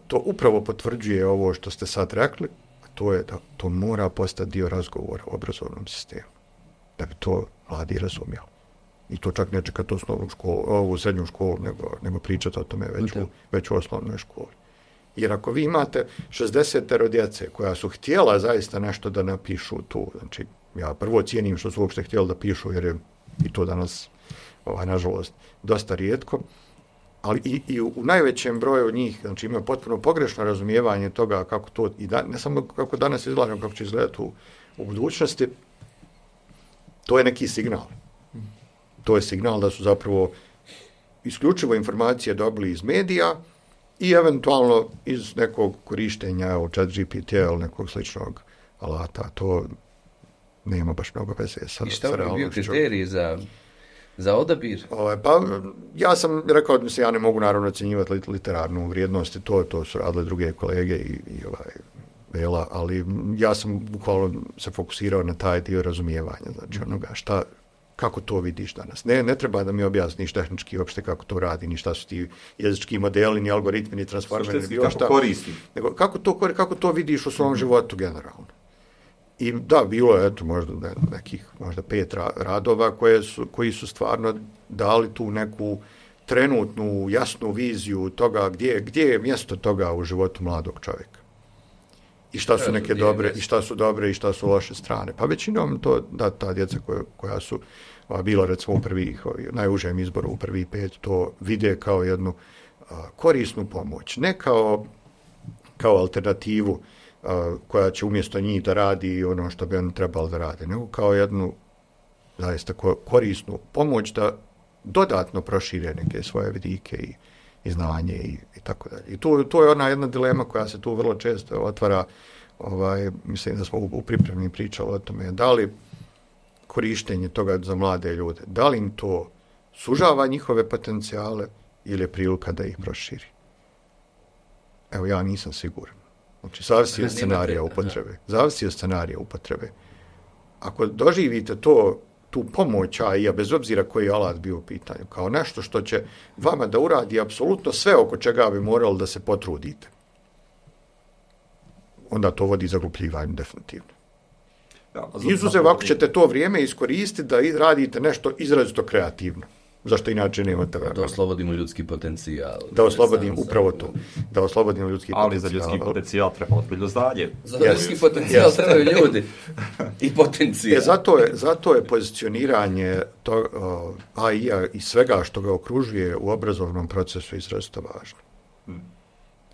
to upravo potvrđuje ovo što ste sad rekli, a to je da to mora postati dio razgovora o obrazovnom sistemu. Da bi to mladi razumjeli. I to čak ne čekati osnovnu školu, ovu srednju školu, nego, nego pričati o tome već u, već u osnovnoj školi. Jer ako vi imate šezdeset djece koja su htjela zaista nešto da napišu tu, znači ja prvo cijenim što su uopšte htjeli da pišu, jer je i to danas, ovaj, nažalost, dosta rijetko, ali i, i u najvećem broju njih, znači imaju potpuno pogrešno razumijevanje toga kako to, i da, ne samo kako danas izgleda, nego kako će izgledati u, u budućnosti, to je neki signal. To je signal da su zapravo isključivo informacije dobili iz medija i eventualno iz nekog korištenja, evo, chat G P T ili nekog sličnog alata. To nema baš mnogo veze sa, i šta sa bi bio kriterij za, za odabir? O, pa, ja sam rekao da se ja ne mogu naravno ocjenjivati literarnu vrijednost, to, to su radile druge kolege i, i ovaj, Vela, ali ja sam bukvalno se fokusirao na taj dio razumijevanja, znači onoga šta, kako to vidiš danas. Ne, ne treba da mi objasniš tehnički uopšte kako to radi, ni šta su ti jezički modeli, ni algoritmi, ni transformeri, ni bilo šta. Koristi. Nego kako to, kako to vidiš u svom mm-hmm. životu generalno. I da, bilo je eto, možda ne, nekih možda pet ra, radova koje su, koji su stvarno dali tu neku trenutnu, jasnu viziju toga gdje, gdje je mjesto toga u životu mladog čovjeka. I šta su neke dobre, i šta su dobre, i šta su loše strane. Pa većinom to, da, ta djeca koja, koja su a, bila recimo u prvih, najužem izboru u prvih pet, to vide kao jednu a, korisnu pomoć. Ne kao, kao alternativu a, koja će umjesto njih da radi ono što bi oni trebali da rade, nego kao jednu zaista korisnu pomoć da dodatno prošire neke svoje vidike i, i znanje i, i tako dalje. I tu, tu je ona jedna dilema koja se tu vrlo često otvara, ovaj, mislim da smo u, u pripremni pričali o tome, da li korištenje toga za mlade ljude, da li im to sužava njihove potencijale ili je prilika da ih proširi. Evo, ja nisam siguran. Znači, zavisi od scenarija upotrebe. Zavisi od scenarija upotrebe. Ako doživite to, tu pomoć, a i bez obzira koji alat bio u pitanju, kao nešto što će vama da uradi apsolutno sve oko čega bi morali da se potrudite, onda to vodi zaglupljivanju definitivno. Ja, Izuzev ako ćete to vrijeme iskoristiti da radite nešto izrazito kreativno, zašto inače nemate vremena. Da oslobodimo ljudski potencijal. Da oslobodimo upravo to. Da oslobodimo ljudski ali potencijal. Ali za ljudski potencijal treba ozbiljno znanje. Za yes. ljudski potencijal yes. trebaju ljudi. I potencijal. E, zato, je, zato je pozicioniranje to, uh, A I-a i svega što ga okružuje u obrazovnom procesu izrazito važno. Hmm.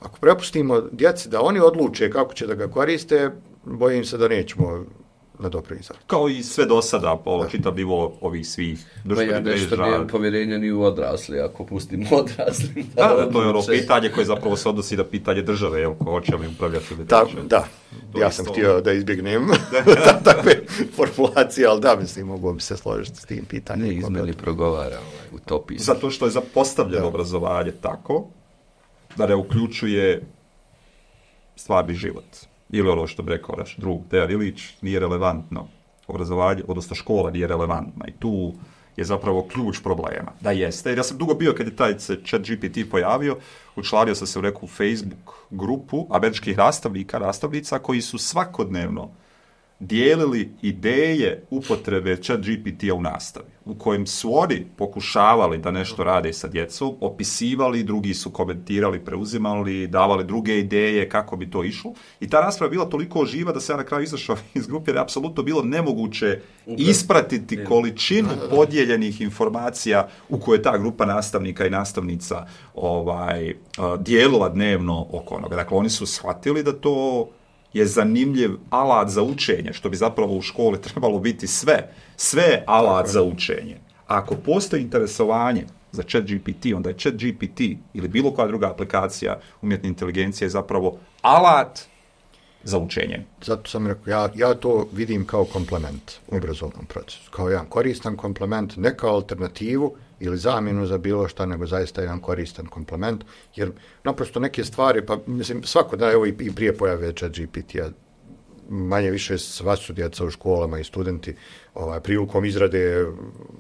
Ako prepustimo djeci da oni odluče kako će da ga koriste, bojim se da nećemo na dobro izradu. Kao i sve do sada, ovo čitav nivo ovih svih društvenih mreža. Ja nešto nemam povjerenja ni u odrasli, ako pustimo odrasli. Da, da, to je ono pitanje koje zapravo se odnosi na pitanje države, jel, ko hoće li upravljati ili da, da. ja isto... sam htio da izbjegnem takve formulacije, ali da, mislim, mogu bi se složiti s tim pitanjem. Ne, izmeni progovara ovaj, utopijski. Zato što je zapostavljeno obrazovanje tako da ne uključuje stvarni život. Ili ono što bi rekao naš drug Dejan Ilić, nije relevantno obrazovanje, odnosno škola nije relevantna. I tu je zapravo ključ problema. Da jeste. Jer ja sam dugo bio kad je taj chat G P T pojavio, učlanio sam se u neku Facebook grupu američkih nastavnika, nastavnica koji su svakodnevno dijelili ideje upotrebe chat G P T-a u nastavi, u kojem su oni pokušavali da nešto rade sa djecom, opisivali, drugi su komentirali, preuzimali, davali druge ideje kako bi to išlo. I ta rasprava je bila toliko živa da se ja na kraju izašao iz grupe, jer je apsolutno bilo nemoguće ispratiti količinu podijeljenih informacija u kojoj je ta grupa nastavnika i nastavnica ovaj, dijelila dnevno oko onoga. Dakle, oni su shvatili da to je zanimljiv alat za učenje, što bi zapravo u školi trebalo biti sve. Sve alat za učenje. A ako postoji interesovanje za chat G P T, onda je chat G P T ili bilo koja druga aplikacija umjetne inteligencije je zapravo alat za učenje. Zato sam rekao, ja, ja to vidim kao komplement u obrazovnom procesu. Kao jedan koristan komplement, ne kao alternativu ili zamjenu za bilo šta, nego zaista jedan koristan komplement, jer naprosto neke stvari, pa mislim, svako da, evo i, i prije pojave chat G P T-a, manje više sva su djeca u školama i studenti ovaj, prilikom izrade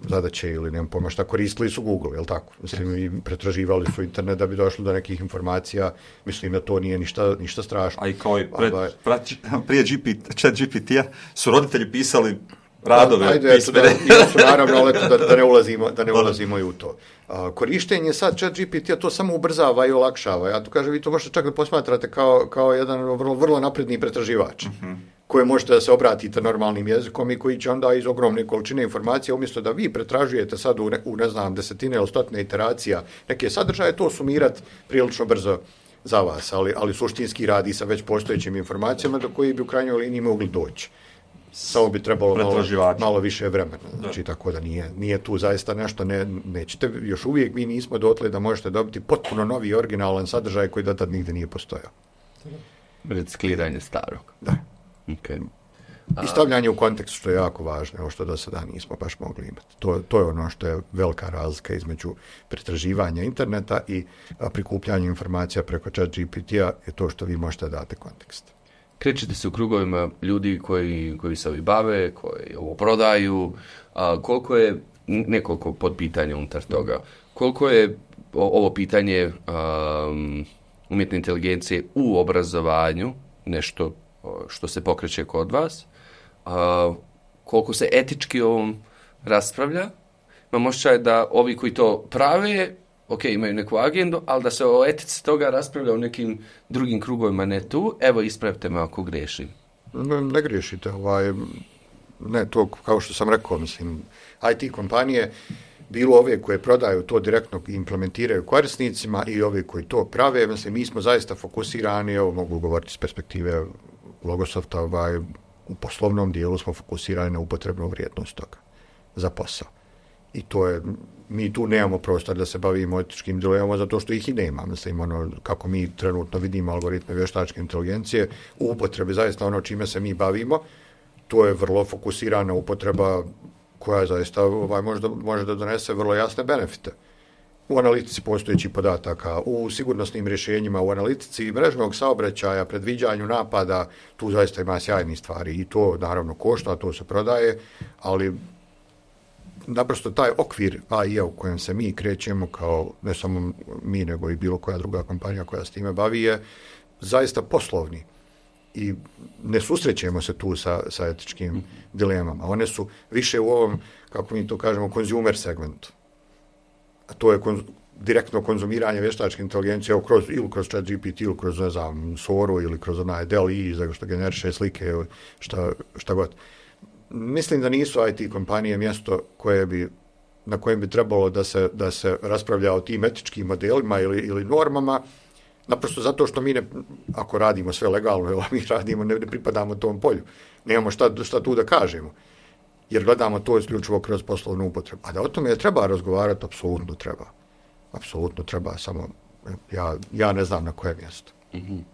zadaće ili nemam pojma šta, koristili su Google, jel tako? Mislim, i pretraživali su internet da bi došli do nekih informacija, mislim da to nije ništa, ništa strašno. A i kao i pred, ovaj, pred, prije G P T, chat G P T-a su roditelji pisali radove. Da, ajde, eto, da, ja su naravno, ali da, da ne ulazimo, da ne ulazimo i u to. A, korištenje sad chat G P T-a to samo ubrzava i olakšava. Ja to kažem, vi to možete čak da posmatrate kao, kao jedan vrlo, vrlo napredni pretraživač, uh-huh. koje možete da se obratite normalnim jezikom i koji će onda iz ogromne količine informacija, umjesto da vi pretražujete sad u, ne, u ne znam, desetine ili stotine iteracija neke sadržaje, to sumirati prilično brzo za vas, ali, ali suštinski radi sa već postojećim informacijama do koji bi u krajnjoj liniji mogli doći. Samo bi trebalo malo, malo više vremena. Znači, da. Tako da nije, nije tu zaista nešto, ne, nećete, još uvijek mi nismo dotle da možete dobiti potpuno novi originalan sadržaj koji do tad nigde nije postojao. Recikliranje starog. Da. Okay. I stavljanje u kontekst, što je jako važno, ovo što do sada nismo baš mogli imati. To, to je ono što je velika razlika između pretraživanja interneta i a, prikupljanja informacija preko chat G P T-a, je to što vi možete dati kontekst. Krećete se u krugovima ljudi koji, koji se ovi bave, koji ovo prodaju, a koliko je, nekoliko podpitanja unutar toga, koliko je ovo pitanje um, umjetne inteligencije u obrazovanju nešto što se pokreće kod vas, a, koliko se etički o ovom raspravlja. Imam osjećaj da ovi koji to prave, ok, imaju neku agendu, ali da se o etici toga raspravlja u nekim drugim krugovima, ne tu. Evo, ispravite me ako grešim. Ne, ne griješite. Ovaj, ne, to kao što sam rekao, mislim, I T kompanije, bilo ove koje prodaju to direktno i implementiraju korisnicima i ove koji to prave, mislim, mi smo zaista fokusirani, evo mogu govoriti s perspektive Logosofta, ovaj, u poslovnom dijelu smo fokusirani na upotrebnu vrijednost toga za posao. I to je, mi tu nemamo prostor da se bavimo etičkim dilemama zato što ih i nema. Mislim, ono, kako mi trenutno vidimo algoritme vještačke inteligencije, u upotrebi zaista ono čime se mi bavimo, to je vrlo fokusirana upotreba koja zaista ovaj, može, da, može da donese vrlo jasne benefite. U analitici postojećih podataka, u sigurnosnim rješenjima, u analitici mrežnog saobraćaja, predviđanju napada, tu zaista ima sjajnih stvari i to naravno košta, to se prodaje, ali naprosto taj okvir A I u kojem se mi krećemo, kao ne samo mi, nego i bilo koja druga kompanija koja s time bavi, je zaista poslovni. I ne susrećemo se tu sa, sa etičkim dilemama. One su više u ovom, kako mi to kažemo, consumer segmentu. A to je konz, direktno konzumiranje vještačke inteligencije evo, kroz, ili kroz ChatGPT, ili kroz, ne znam, Soru, ili kroz onaj D A L L E, što generiše slike, ili šta, šta god. Mislim da nisu I T kompanije mjesto koje bi, na kojem bi trebalo da se, da se raspravlja o tim etičkim modelima ili, ili normama, naprosto zato što mi, ne, ako radimo sve legalno, evo, mi radimo, ne, ne pripadamo tom polju. Nemamo šta, šta tu da kažemo, jer gledamo to isključivo kroz poslovnu upotrebu. A da o tome treba razgovarati, apsolutno treba. Apsolutno treba, samo ja, ja ne znam na koje mjesto. Mm-hmm.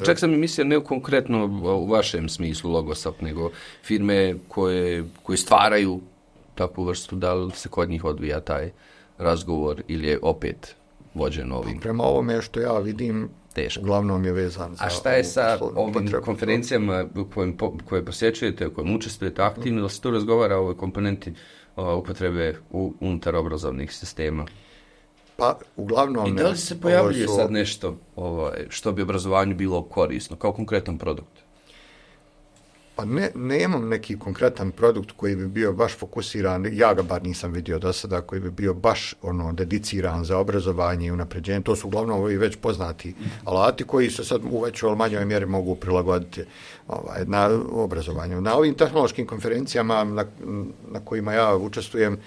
Čak sam i mislio ne konkretno u vašem smislu Logosoft, nego firme koje, koje stvaraju takvu vrstu, da li se kod njih odvija taj razgovor ili je opet vođen ovim? Prema ovome što ja vidim, teško. Uglavnom je vezan za... A šta je sa ovim konferencijama kojim, koje posjećujete, u kojim učestvujete aktivno, da se tu razgovara o ovoj komponenti o, upotrebe u, unutar obrazovnih sistema? Pa, uglavnom... I da li se pojavljuje su... sad nešto ovaj, što bi obrazovanju bilo korisno, kao konkretan produkt? Pa ne, nemam neki konkretan produkt koji bi bio baš fokusiran, ja ga bar nisam vidio do sada, koji bi bio baš ono dediciran za obrazovanje i unapređenje. To su uglavnom ovi već poznati alati koji se sad u većoj ili manjoj mjeri mogu prilagoditi ovaj, na obrazovanju. Na ovim tehnološkim konferencijama na, na kojima ja učestvujem,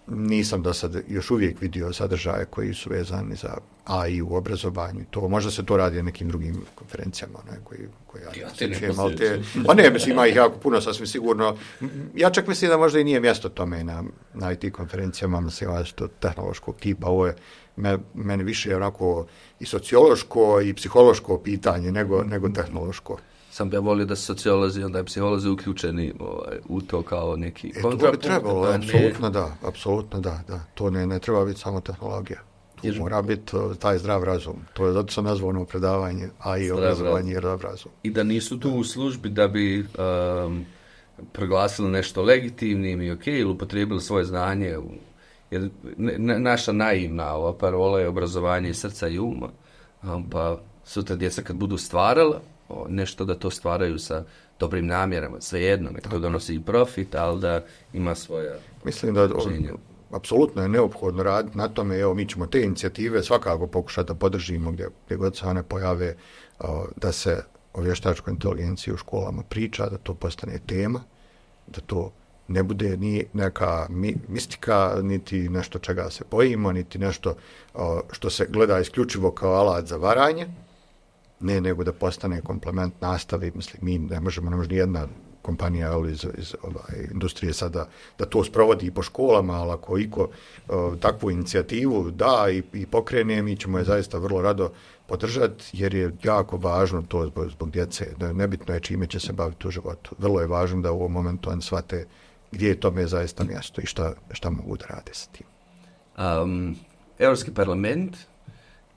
nisam do sad još uvijek vidio sadržaje koji su vezani za A I u obrazovanju. To možda se to radi na nekim drugim konferencijama, ne, koji, koji ja, ja te ne ali te, pa ne, mislim, ima ih jako puno, sasvim sigurno. Ja čak mislim da možda i nije mjesto tome na, na I T konferencijama, mislim, što tehnološkog tipa. Ovo je me, meni više onako i sociološko i psihološko pitanje nego, nego tehnološko. Sam ja volio da su sociolozi, onda je psiholozi uključeni ovaj, u to kao neki e, kontrapunkt. To bi trebalo, da, apsolutno ne... da, apsolutno da, da. To ne, ne treba biti samo tehnologija. Tu jer... mora biti uh, taj zdrav razum. To je zato sam nazvao ono predavanje, a i obrazovanje je zdrav razum. I da nisu tu u službi da bi um, proglasili nešto legitimnim i ok, ili upotrijebili svoje znanje. Jer ne, naša naivna ova parola je obrazovanje srca i uma, um, pa sutra djeca kad budu stvarala, nešto da to stvaraju sa dobrim namjerama, svejedno, nek to donosi i profit, ali da ima svoja... Mislim da apsolutno je neophodno raditi na tome, evo mi ćemo te inicijative svakako pokušati da podržimo gdje, gdje god se one pojave, da se o vještačkoj inteligenciji u školama priča, da to postane tema, da to ne bude ni neka mi, mistika, niti nešto čega se bojimo, niti nešto što se gleda isključivo kao alat za varanje, ne nego da postane komplement nastavi. Mislim, mi ne možemo, ne može ni jedna kompanija ali iz, iz ovaj, industrije sada da to sprovodi i po školama, ali ako iko uh, takvu inicijativu da i, i pokrene, mi ćemo je zaista vrlo rado podržati, jer je jako važno to zbog, zbog djece. Nebitno je čime će se baviti u životu. Vrlo je važno da u ovom momentu on shvate gdje je tome zaista mjesto i šta, šta mogu da rade sa tim. Um, Europski parlament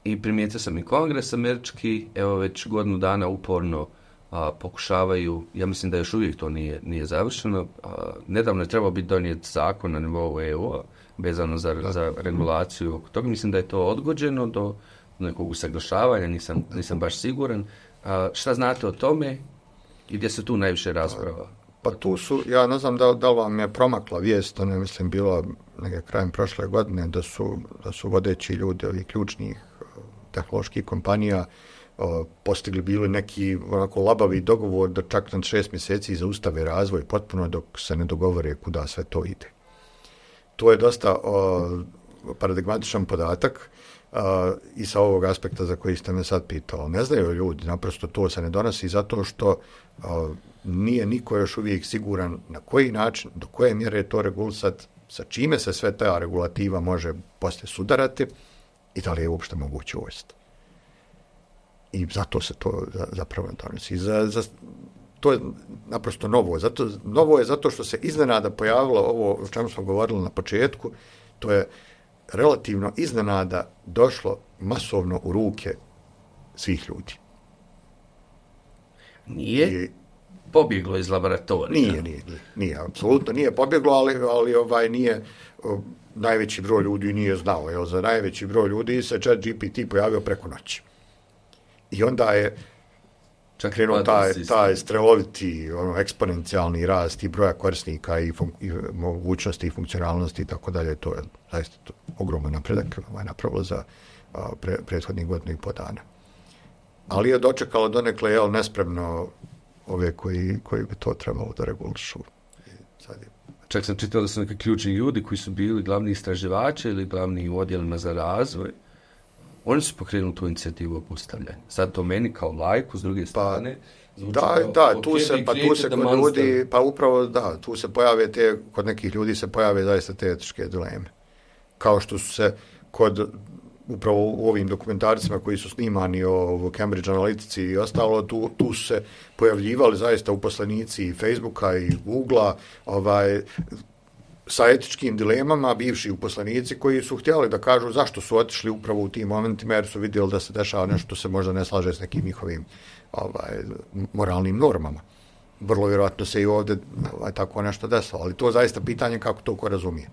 i primijetio sam i kongres američki, evo već godinu dana uporno a, pokušavaju, ja mislim da još uvijek to nije, nije završeno, a, nedavno je trebao biti donijet zakon na nivou E U-a vezano za, za regulaciju oko toga, mislim da je to odgođeno do nekog usaglašavanja, nisam, nisam baš siguran. A, šta znate o tome i gdje se tu najviše rasprava? Pa tu su, ja ne znam da, da li vam je promakla vijest, ono je mislim bilo neke krajem prošle godine, da su, da su vodeći ljudi ovih ključnih tehnoloških kompanija o, postigli bili neki onako labavi dogovor da čak na šest mjeseci zaustave razvoj potpuno dok se ne dogovore kuda sve to ide. To je dosta o, paradigmatičan podatak a, i sa ovog aspekta za koji ste me sad pitali. Ne znaju ljudi, naprosto to se ne donosi zato što a, nije niko još uvijek siguran na koji način, do koje mjere je to regulisati, sa čime se sve ta regulativa može poslije sudarati i da li je uopšte moguće uvesti. I zato se to zapravo donosi. Za, za, to je naprosto novo. Zato, novo je zato što se iznenada pojavilo ovo o čemu smo govorili na početku, to je relativno iznenada došlo masovno u ruke svih ljudi. Nije I, pobjeglo iz laboratorija. Nije, nije, nije, nije, apsolutno nije pobjeglo, ali, ali ovaj nije, o, najveći broj ljudi nije znao, jer za najveći broj ljudi se Chat G P T pojavio preko noći. I onda je čak krenuo taj, taj streloviti, ono, eksponencijalni rast i broja korisnika i, fun, i mogućnosti i funkcionalnosti i tako dalje, to je zaista to, ogroman napredak ovaj, napravilo za a, pre, prethodnih godina i po dana. Ali je dočekalo donekle, jel, nespremno ove koji, koji bi to trebalo da regulišu. Sad je... Čak sam čitao da su neki ključni ljudi koji su bili glavni istraživači ili glavni u odjelima za razvoj. Oni su pokrenuli tu inicijativu obustavljanja. Sad to meni kao lajku, s druge strane... Pa, da, kao, da, tu se, pa tu se kod ljudi, pa upravo da, tu se pojave te, kod nekih ljudi se pojave zaista te etičke dileme. Kao što su se kod upravo u ovim dokumentarcima koji su snimani o Cambridge Analytici i ostalo, tu, tu su se pojavljivali zaista uposlenici i Facebooka i Googlea, ovaj, sa etičkim dilemama, bivši uposlenici koji su htjeli da kažu zašto su otišli upravo u tim momentima, jer su vidjeli da se dešava nešto se možda ne slaže s nekim njihovim ovaj, moralnim normama. Vrlo vjerojatno se i ovdje ovaj, tako nešto desilo, ali to je zaista pitanje kako to ko razumije.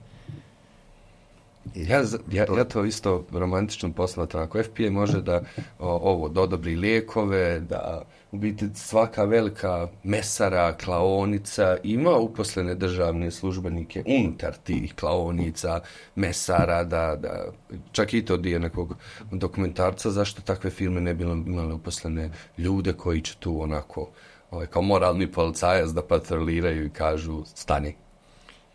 Ja, ja, ja to isto romantično posmatram. Ako F B I može da o, ovo dodobri lijekove, da u biti svaka velika mesara, klaonica ima uposlene državne službenike unutar tih klaonica, mesara, da, da čak i to dio nekog dokumentarca, zašto takve firme ne bi imale uposlene ljude koji će tu onako ovaj, kao moralni policajac da patroliraju i kažu stani.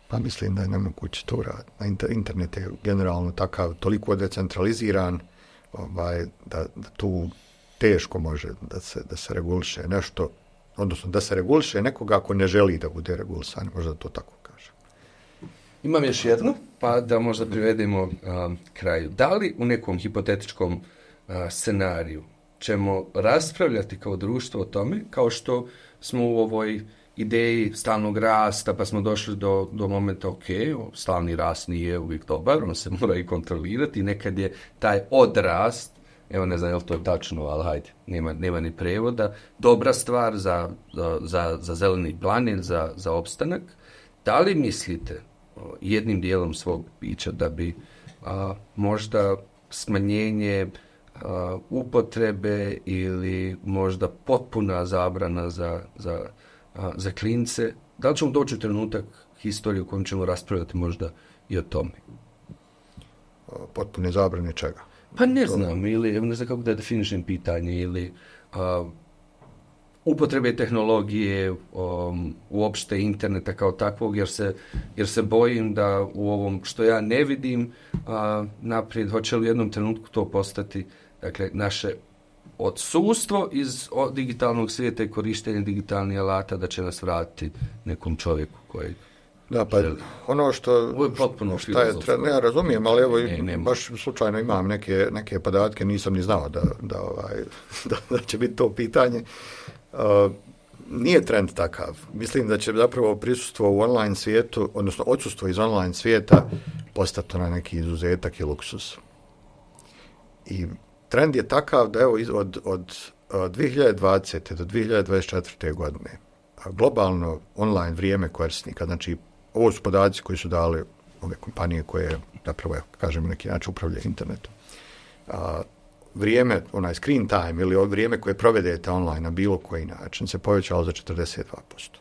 Pa mislim da je nemoguće to raditi. Internet je generalno takav, toliko decentraliziran, ovaj, da, da tu teško može da se, da se reguliše nešto, odnosno da se reguliše nekoga ako ne želi da bude regulisan, možda to tako kaže. Imam još jedno, pa da možda privedemo um, kraju. Da li u nekom hipotetičkom uh, scenariju ćemo raspravljati kao društvo o tome, kao što smo u ovoj ideji stalnog rasta, pa smo došli do, do momenta, ok, stalni rast nije uvijek dobar, on se mora i kontrolirati, nekad je taj odrast, evo ne znam je li to je tačno, ali hajde, nema, nema ni prevoda, dobra stvar za, za, za zeleni planet, za, za opstanak. Da li mislite jednim dijelom svog bića da bi a, možda smanjenje a, upotrebe ili možda potpuna zabrana za, za A, za klince, da li ćemo doći u trenutak historije u kojem ćemo raspravljati možda i o tome? Potpune zabrane čega? Pa ne to... znam, ili ne znam kako da definišem pitanje, ili a, upotrebe tehnologije, um, uopšte interneta kao takvog, jer se, jer se bojim da u ovom što ja ne vidim a, naprijed, hoće li u jednom trenutku to postati, dakle, naše odsustvo iz digitalnog svijeta i korištenja digitalnih alata da će nas vratiti nekom čovjeku koji da, pa želi. Ono što, ovo je potpuno šta je, ne, ja razumijem, ali evo, ne, baš slučajno imam neke, neke podatke, nisam ni znao da, da, ovaj, da, da će biti to pitanje. Uh, nije trend takav. Mislim da će zapravo prisustvo u online svijetu, odnosno odsustvo iz online svijeta postati na neki izuzetak i luksus. I trend je takav da evo od, od, od dvije hiljade dvadesete do dvije hiljade dvadeset četvrte godine globalno online vrijeme korisnika, znači ovo su podaci koji su dali ove kompanije koje zapravo, kažemo, neki način upravljaju internetom. A, vrijeme, onaj screen time ili vrijeme koje provedete online na bilo koji način se povećalo za četrdeset dva posto.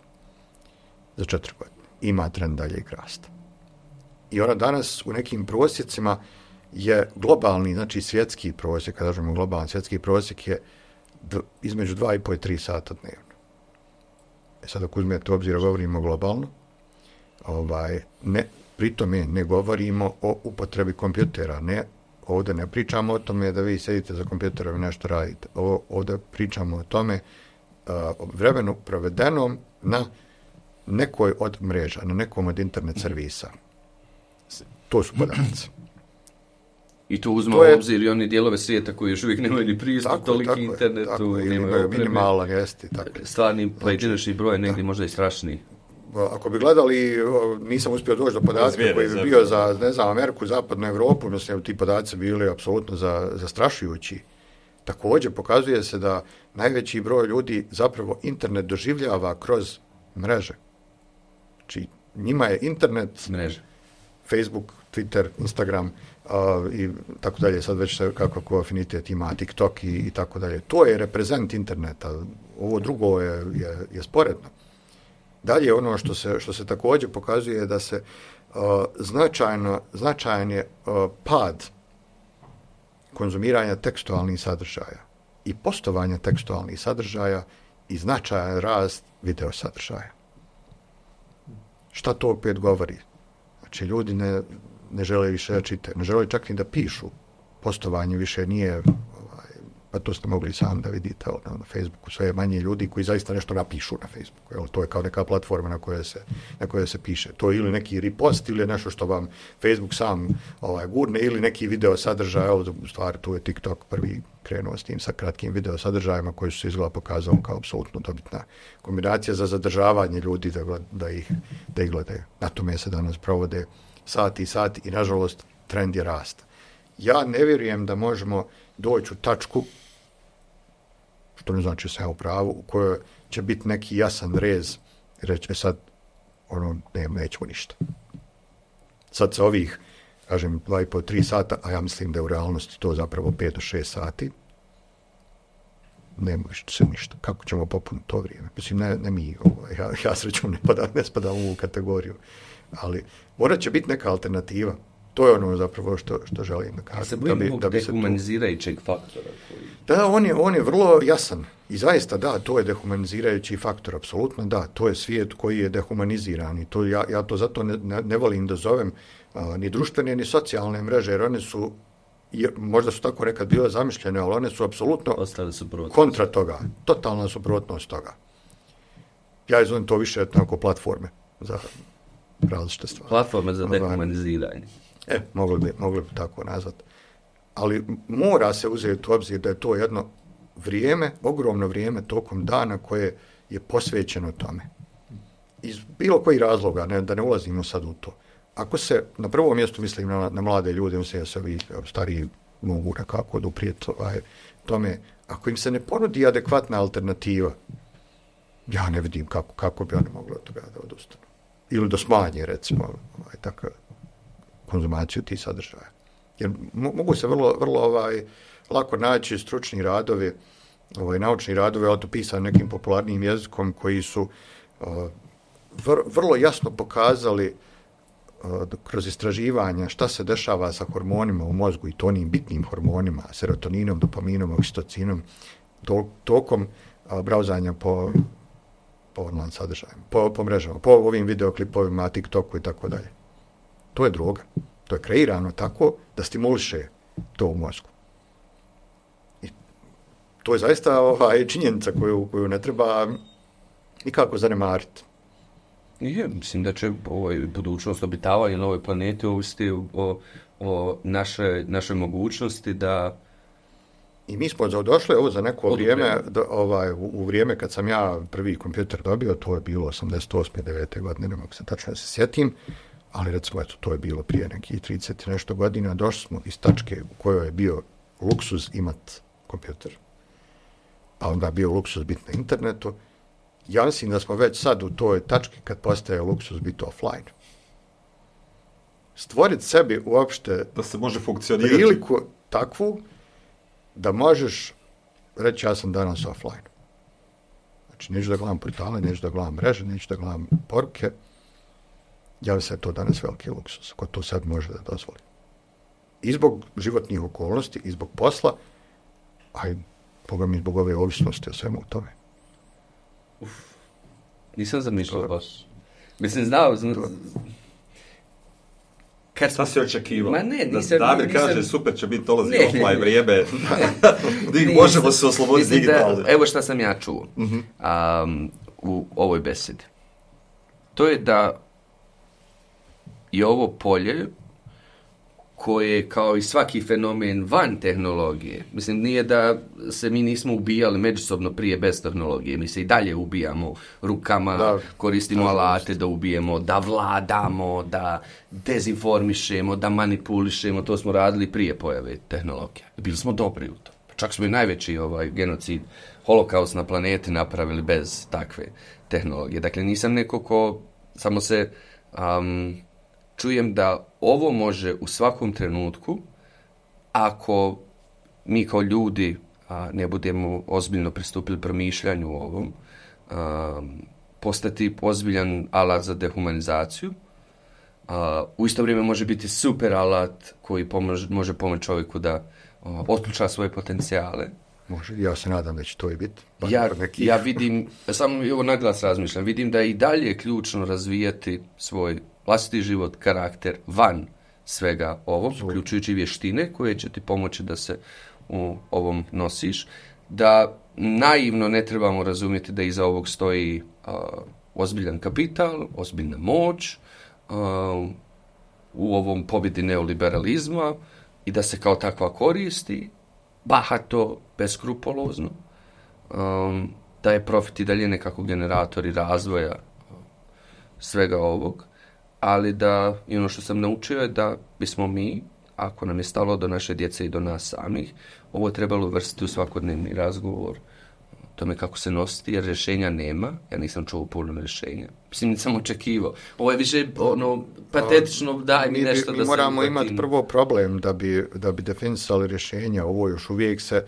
za četiri godine. Ima trend daljeg rasta. I ona danas u nekim prosjecima je globalni, znači svjetski prosjek, kada kažemo globalni svjetski prosjek je d- između dva i po i tri sata dnevno. E sad ako uzmete u obzir, govorimo globalno, ovaj, ne, pri tome ne govorimo o upotrebi kompjutera, ne, ovdje ne pričamo o tome da vi sedite za kompjuterom i nešto radite. O, ovdje pričamo o tome uh, o vremenu provedenom na nekoj od mreža, na nekom od internet servisa. To su podaci. I to uzme u obzir i oni dijelove svijeta koji još uvijek nemaju ni pristup tako, toliki tako, internetu. Tako, ili imaju minimalan, jesti. Stvarni pojedinačni broj negdje možda i strašniji. Ako bi gledali, nisam uspio doći do podatka koji bi bio za, ne znam, Ameriku, zapadnu Evropu, mislim, ti podaci bili apsolutno za, zastrašujući. Također pokazuje se da najveći broj ljudi zapravo internet doživljava kroz mreže. Znači, njima je internet, mreže. Facebook, Twitter, Instagram uh, i tako dalje, sad već kako ko afinitet ima, TikTok i, i tako dalje. To je reprezent interneta, ovo drugo je, je, je sporedno. Dalje ono što se, što se također pokazuje da se uh, značajno, značajan je uh, pad konzumiranja tekstualnih sadržaja i postovanja tekstualnih sadržaja i značajan rast video sadržaja. Šta to opet govori? Znači, ljudi ne, ne žele više da čitaju, ne žele čak ni da pišu. Postovanje više nije, ovaj, pa to ste mogli sam da vidite na, na Facebooku, sve manje ljudi koji zaista nešto napišu na Facebooku. Jel, to je kao neka platforma na kojoj se, na kojoj se piše. To je ili neki repost ili nešto što vam Facebook sam ovaj, gurne ili neki video sadržaj. Evo, u stvari, tu je TikTok prvi krenuo s tim sa kratkim video sadržajima koji su se izgleda pokazali kao apsolutno dobitna kombinacija za zadržavanje ljudi da, da, ih, da ih gledaju. Na tome se danas provode sati i sati i nažalost trend je rasta. Ja ne vjerujem da možemo doći u tačku, što ne znači sve u pravu, u kojoj će biti neki jasan rez i reći sad ono, ne, nećemo ništa. Sad sa ovih kažem, dva i po, tri sata, a ja mislim da je u realnosti to zapravo pet do šest sati, nema se ništa. Kako ćemo popuniti to vrijeme? Mislim, ne, ne mi, ovo, ja, ja srećom ne, pada, ne spadam u ovu kategoriju, ali morat će biti neka alternativa. To je ono zapravo što, što želim da kažem. Se bojim ovog dehumanizirajućeg faktora? Koji... Da, on je, on je vrlo jasan. I zaista, da, to je dehumanizirajući faktor, apsolutno da. To je svijet koji je dehumaniziran i to, ja, ja to zato ne, ne, ne volim da zovem a, ni društvene, ni socijalne mreže, jer one su, je, možda su tako nekad bile zamišljene, ali one su apsolutno kontra toga. Totalna suprotnost toga. Ja izvolim to više tako platforme za različite stvari. Platforme za dehumaniziranje. E, mogli bi, mogli bi tako nazvati. Ali mora se uzeti u obzir da je to jedno vrijeme, ogromno vrijeme tokom dana koje je posvećeno tome. Iz bilo koji razloga, ne, da ne ulazimo sad u to. Ako se, na prvom mjestu mislim na, na mlade ljude, mislim da se ovi stariji mogu nekako doprijeti ovaj, tome, ako im se ne ponudi adekvatna alternativa, ja ne vidim kako, kako bi oni mogli od toga da odustanu. Ili da smanje, recimo, ovaj, tako, konzumaciju tih sadržaja. Jer mogu se vrlo, vrlo ovaj, lako naći stručni radovi, ovaj, naučni radovi, ali to pisani nekim popularnim jezikom, koji su uh, vr, vrlo jasno pokazali uh, kroz istraživanja šta se dešava sa hormonima u mozgu i to onim bitnim hormonima, serotoninom, dopaminom, oksitocinom, to, tokom uh, brauzanja po, po online sadržajima, po, po mrežama, po ovim videoklipovima, TikToku i tako dalje. To je droga. To je kreirano tako da stimuliše to u mozgu. I to je zaista ovaj, činjenica koju, koju ne treba nikako zanemariti. Je, mislim da će ovaj, budućnost obitavanja na ovoj planeti ovisiti o, o naše, našoj mogućnosti da... I mi smo došli ovo za neko vrijeme, da, ovaj, u, u vrijeme kad sam ja prvi kompjuter dobio, to je bilo osamdeset osme devete godine, ne mogu se tačno se sjetim, ali recimo, eto, to je bilo prije nekih trideset nešto godina, došli smo iz tačke u kojoj je bio luksuz imat kompjuter, a onda je bio luksuz biti na internetu. Ja mislim da smo već sad u toj tački kad postaje luksuz biti offline. Stvoriti sebi uopšte da se može funkcionirati priliku takvu da možeš reći ja sam danas offline. Znači, neću da gledam portale, neću da gledam mreže, neću da gledam poruke. Ja mislim da je to danas veliki luksus, ko to sad može da dozvoli. I zbog životnih okolnosti, i zbog posla, a i Boga mi zbog ove ovisnosti o svemu u tome. Uf, nisam zamišljao baš. Mislim, znao... Zna... Kad šta si očekivao? Ma ne, nisam... Da Damir nisam... kaže, super će biti dolazi offline vrijeme. Možemo se osloboditi digitalno. Evo šta sam ja čuo uh-huh. um, u ovoj besedi. To je da je ovo polje koje, kao i svaki fenomen van tehnologije, mislim, nije da se mi nismo ubijali međusobno prije bez tehnologije, mi se i dalje ubijamo rukama, da, koristimo da, alate da ubijemo, da vladamo, da dezinformišemo, da manipulišemo, to smo radili prije pojave tehnologije. Bili smo dobri u to. Čak smo i najveći ovaj, genocid, holokaust na planeti napravili bez takve tehnologije. Dakle, nisam neko ko samo se... Um, čujem da ovo može u svakom trenutku, ako mi kao ljudi a, ne budemo ozbiljno pristupili promišljanju u ovom, a, postati ozbiljan alat za dehumanizaciju. A, u isto vrijeme može biti super alat koji pomož, može pomoći čovjeku da a, otključa svoje potencijale. Može, ja se nadam da će to i biti. Ja, ja vidim, samo ovo naglas razmišljam, vidim da je i dalje ključno razvijati svoj vlastiti život, karakter, van svega ovog, uključujući vještine koje će ti pomoći da se u ovom nosiš, da naivno ne trebamo razumjeti da iza ovog stoji uh, ozbiljan kapital, ozbiljna moć, uh, u ovom pobjedi neoliberalizma i da se kao takva koristi, bahato, beskrupolozno, um, da je profit i dalje nekako generatori razvoja uh, svega ovog, ali da, i ono što sam naučio je da bismo mi, ako nam je stalo do naše djece i do nas samih, ovo je trebalo uvrstiti u svakodnevni razgovor o tome kako se nositi, jer rješenja nema. Ja nisam čuo puno rješenja. Mislim, nisam očekivao. Ovo je više ono, patetično, daj mi nešto mi, da mi se... moramo imati prvo problem da bi, da bi definisali rješenja. Ovo još uvijek se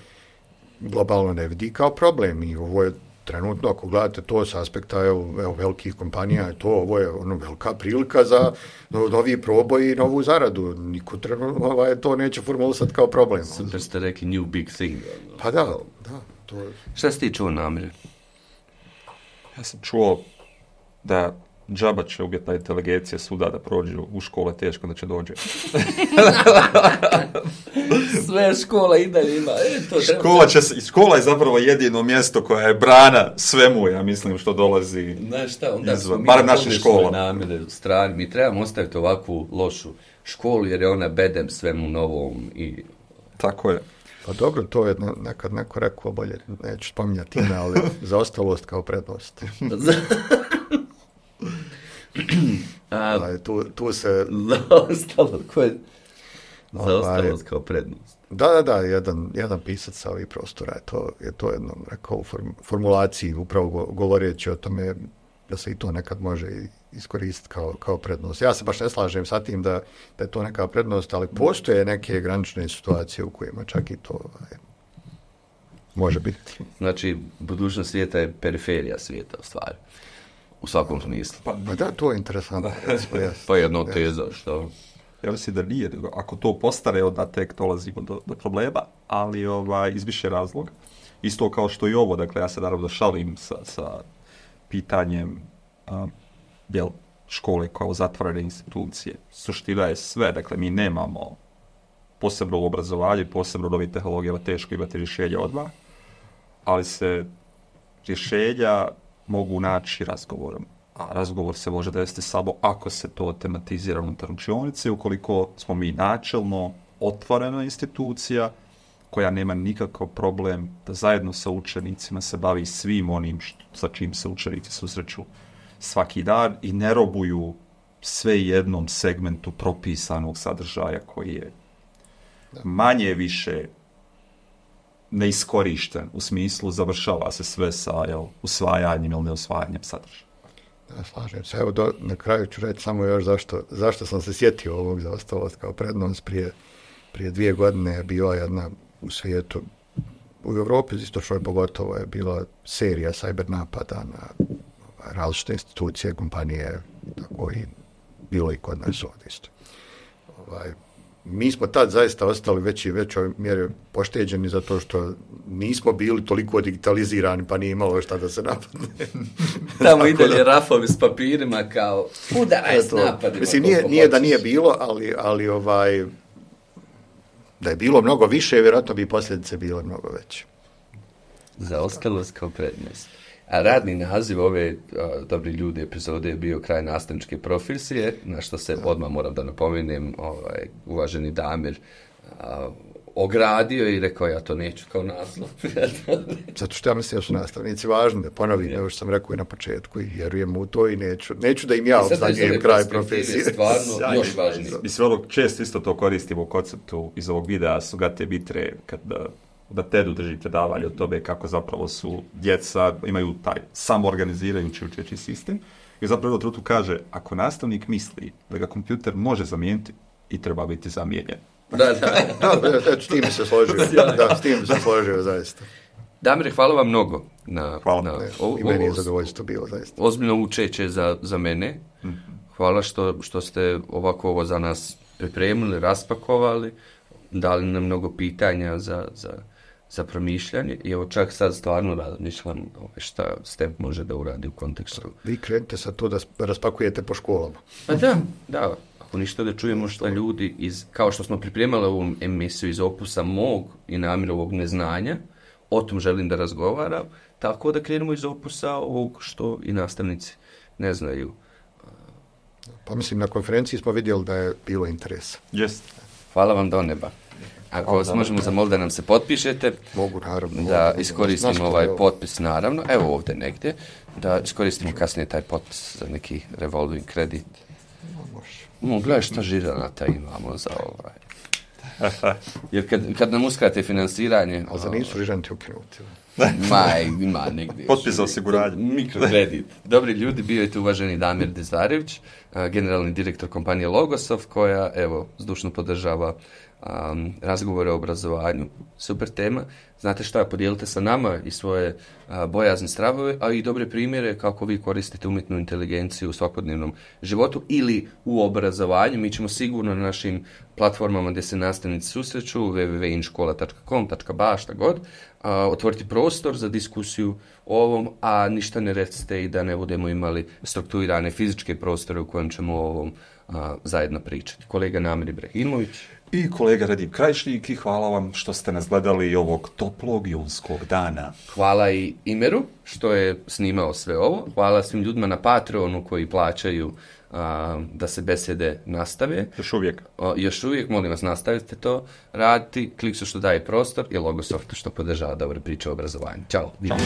globalno ne vidi kao problem i ovo je trenutno, ako gledate to s aspekta evo, evo, velikih kompanija, to ovo je ono, velika prilika za novi proboj i novu zaradu. Niko trenutno ovaj, to neće formulisati kao problem. Super ste rekli new big thing. Pa da, da. To je... Šta si ti čuo, Namire? Ja sam čuo da džaba će umjetna inteligencija suda da prođu u škole, teško da će dođe. Sve škola i dalje ima. E, to škola, će, škola je zapravo jedino mjesto koja je brana svemu, ja mislim, što dolazi. Znaš šta, onda izvan, mi barem naše škola. Namire u strani. Mi trebamo ostaviti ovakvu lošu školu, jer je ona bedem svemu novom. I... Tako je. Pa dobro, to je nekad neko rekao bolje, neću spominjati ime, ali zaostalost kao prednost. A, tu, tu se... Zaostalost, ko je... Zaostalost kao prednost. Da, da, da, jedan, jedan pisac sa ovih prostora je to, je to jednom rekao u form, formulaciji, upravo go, govoreći o tome da se i to nekad može iskoristiti kao, kao prednost. Ja se baš ne slažem sa tim da, da je to neka prednost, ali postoje neke granične situacije u kojima čak i to je, može biti. Znači, budućnost svijeta je periferija svijeta, u stvari. U svakom smislu. Pa, pa da, to je interesantno. Pa jedno teza, što... Ja mislim da nije, ako to postare, onda tek dolazimo do, do problema, ali ovaj, iz više razloga. Isto kao što i ovo, dakle, ja se naravno šalim sa, sa pitanjem a, jel, škole kao zatvorene institucije. Suština je sve, dakle, mi nemamo posebno u obrazovanju, posebno u novim tehnologijama, teško imati rješenja odmah, ali se rješenja mogu naći razgovorom. A razgovor se može desiti samo ako se to tematizira unutar učionice, ukoliko smo mi načelno otvorena institucija koja nema nikakav problem da zajedno sa učenicima se bavi svim onim što, sa čim se učenici susreću svaki dan i ne robuju sve jednom segmentu propisanog sadržaja koji je manje više neiskorišten, u smislu završava se sve sa jel, usvajanjem ili neusvajanjem sadržaja. Da, slažem se. Evo, do, na kraju ću reći samo još zašto, zašto sam se sjetio ovog zaostalost kao prednost. Prije, prije dvije godine je bila jedna u svijetu u Europi, istočnoj pogotovo, je bila serija cyber napada na različite institucije, kompanije, tako i bilo i kod nas ovdje isto. Ovaj, mi smo tad zaista ostali već i većoj mjeri pošteđeni zato što nismo bili toliko digitalizirani, pa nije imalo šta da se napadne. Tamo i dalje rafovi s papirima kao udaraj s napadima. Mislim, nije, nije da nije bilo, ali, ali ovaj, da je bilo mnogo više, vjerojatno bi posljedice bile mnogo veće. Zaostalost kao prednost. A radni naziv ove a, dobri ljudi epizode je bio kraj nastavničke profesije, na što se odmah moram da napomenem, ovaj, uvaženi Damir a, ogradio i rekao ja to neću kao naslov. Zato što ja mislim da su nastavnici važni, da ponovim, yeah. Evo što sam rekao i na početku i vjerujem u to i neću, neću da im ja obznanjujem kraj profesije. Stvarno još važnije. Mislim, ono, često isto to koristimo u konceptu iz ovog videa, su gate bitre, kada da tedu držite davanje od tobe kako zapravo su djeca, imaju taj samoorganizirajući učeći sistem i zapravo tu kaže, ako nastavnik misli da ga kompjuter može zamijeniti i treba biti zamijenjen. Da, da. da, da, s tim se složio. Da, s tim se složio, zaista. Damire, hvala vam mnogo. Na, hvala. Na, ne, o, I meni je zadovoljstvo bilo, zaista. Ozbiljno učeće za, za mene. Mm-hmm. Hvala što, što ste ovako ovo za nas pripremili, raspakovali, dali nam mnogo pitanja za... za za promišljanje i evo čak sad stvarno razmišljam šta STEM može da uradi u kontekstu. Vi krenete sa to da raspakujete po školama. Pa da, da. Ako ništa da čujemo šta ljudi iz, kao što smo pripremali ovu emisiju iz opusa mog i Namirovog neznanja, o tom želim da razgovaram, tako da krenemo iz opusa ovog što i nastavnici ne znaju. Pa mislim, na konferenciji smo vidjeli da je bilo interesa. Yes. Hvala vam do neba. Ako vas možemo zamoliti da nam se potpišete, mogu, naravno, da mogu, iskoristimo mogu, ovaj evo. potpis, naravno, evo ovdje negdje, da iskoristimo kasnije taj potpis za neki revolving kredit. No, gledaj šta žiranata imamo za ovaj. Jer kad, kad nam uskrate finansiranje... Ali za nisu žiranti ukinuti. Ma, ima negdje. Potpis za osiguranje. Mikrokredit. Dobri ljudi, bio je tu uvaženi Damir Dezdarević, generalni direktor kompanije Logosov, koja, evo, zdušno podržava Um, razgovore o obrazovanju. Super tema. Znate šta, podijelite sa nama i svoje uh, bojazne stravove, a i dobre primjere kako vi koristite umjetnu inteligenciju u svakodnevnom životu ili u obrazovanju. Mi ćemo sigurno na našim platformama gdje se nastavnici susreću, w w w tačka inškola tačka com tačka b a, šta god, uh, otvoriti prostor za diskusiju o ovom, a ništa ne recite i da ne budemo imali strukturirane fizičke prostore u kojem ćemo o ovom uh, zajedno pričati. Kolega Namir Ibrahimović i kolega Radim Krajišnik i hvala vam što ste nas gledali ovog toplog junskog dana. Hvala i Imeru što je snimao sve ovo. Hvala svim ljudima na Patreonu koji plaćaju a, da se besede nastave. Još uvijek. O, još uvijek, molim vas, nastavite to raditi. Kliksu što daje prostor i Logosoftu što podržava dobre priče o obrazovanju. Ćao. Ćao.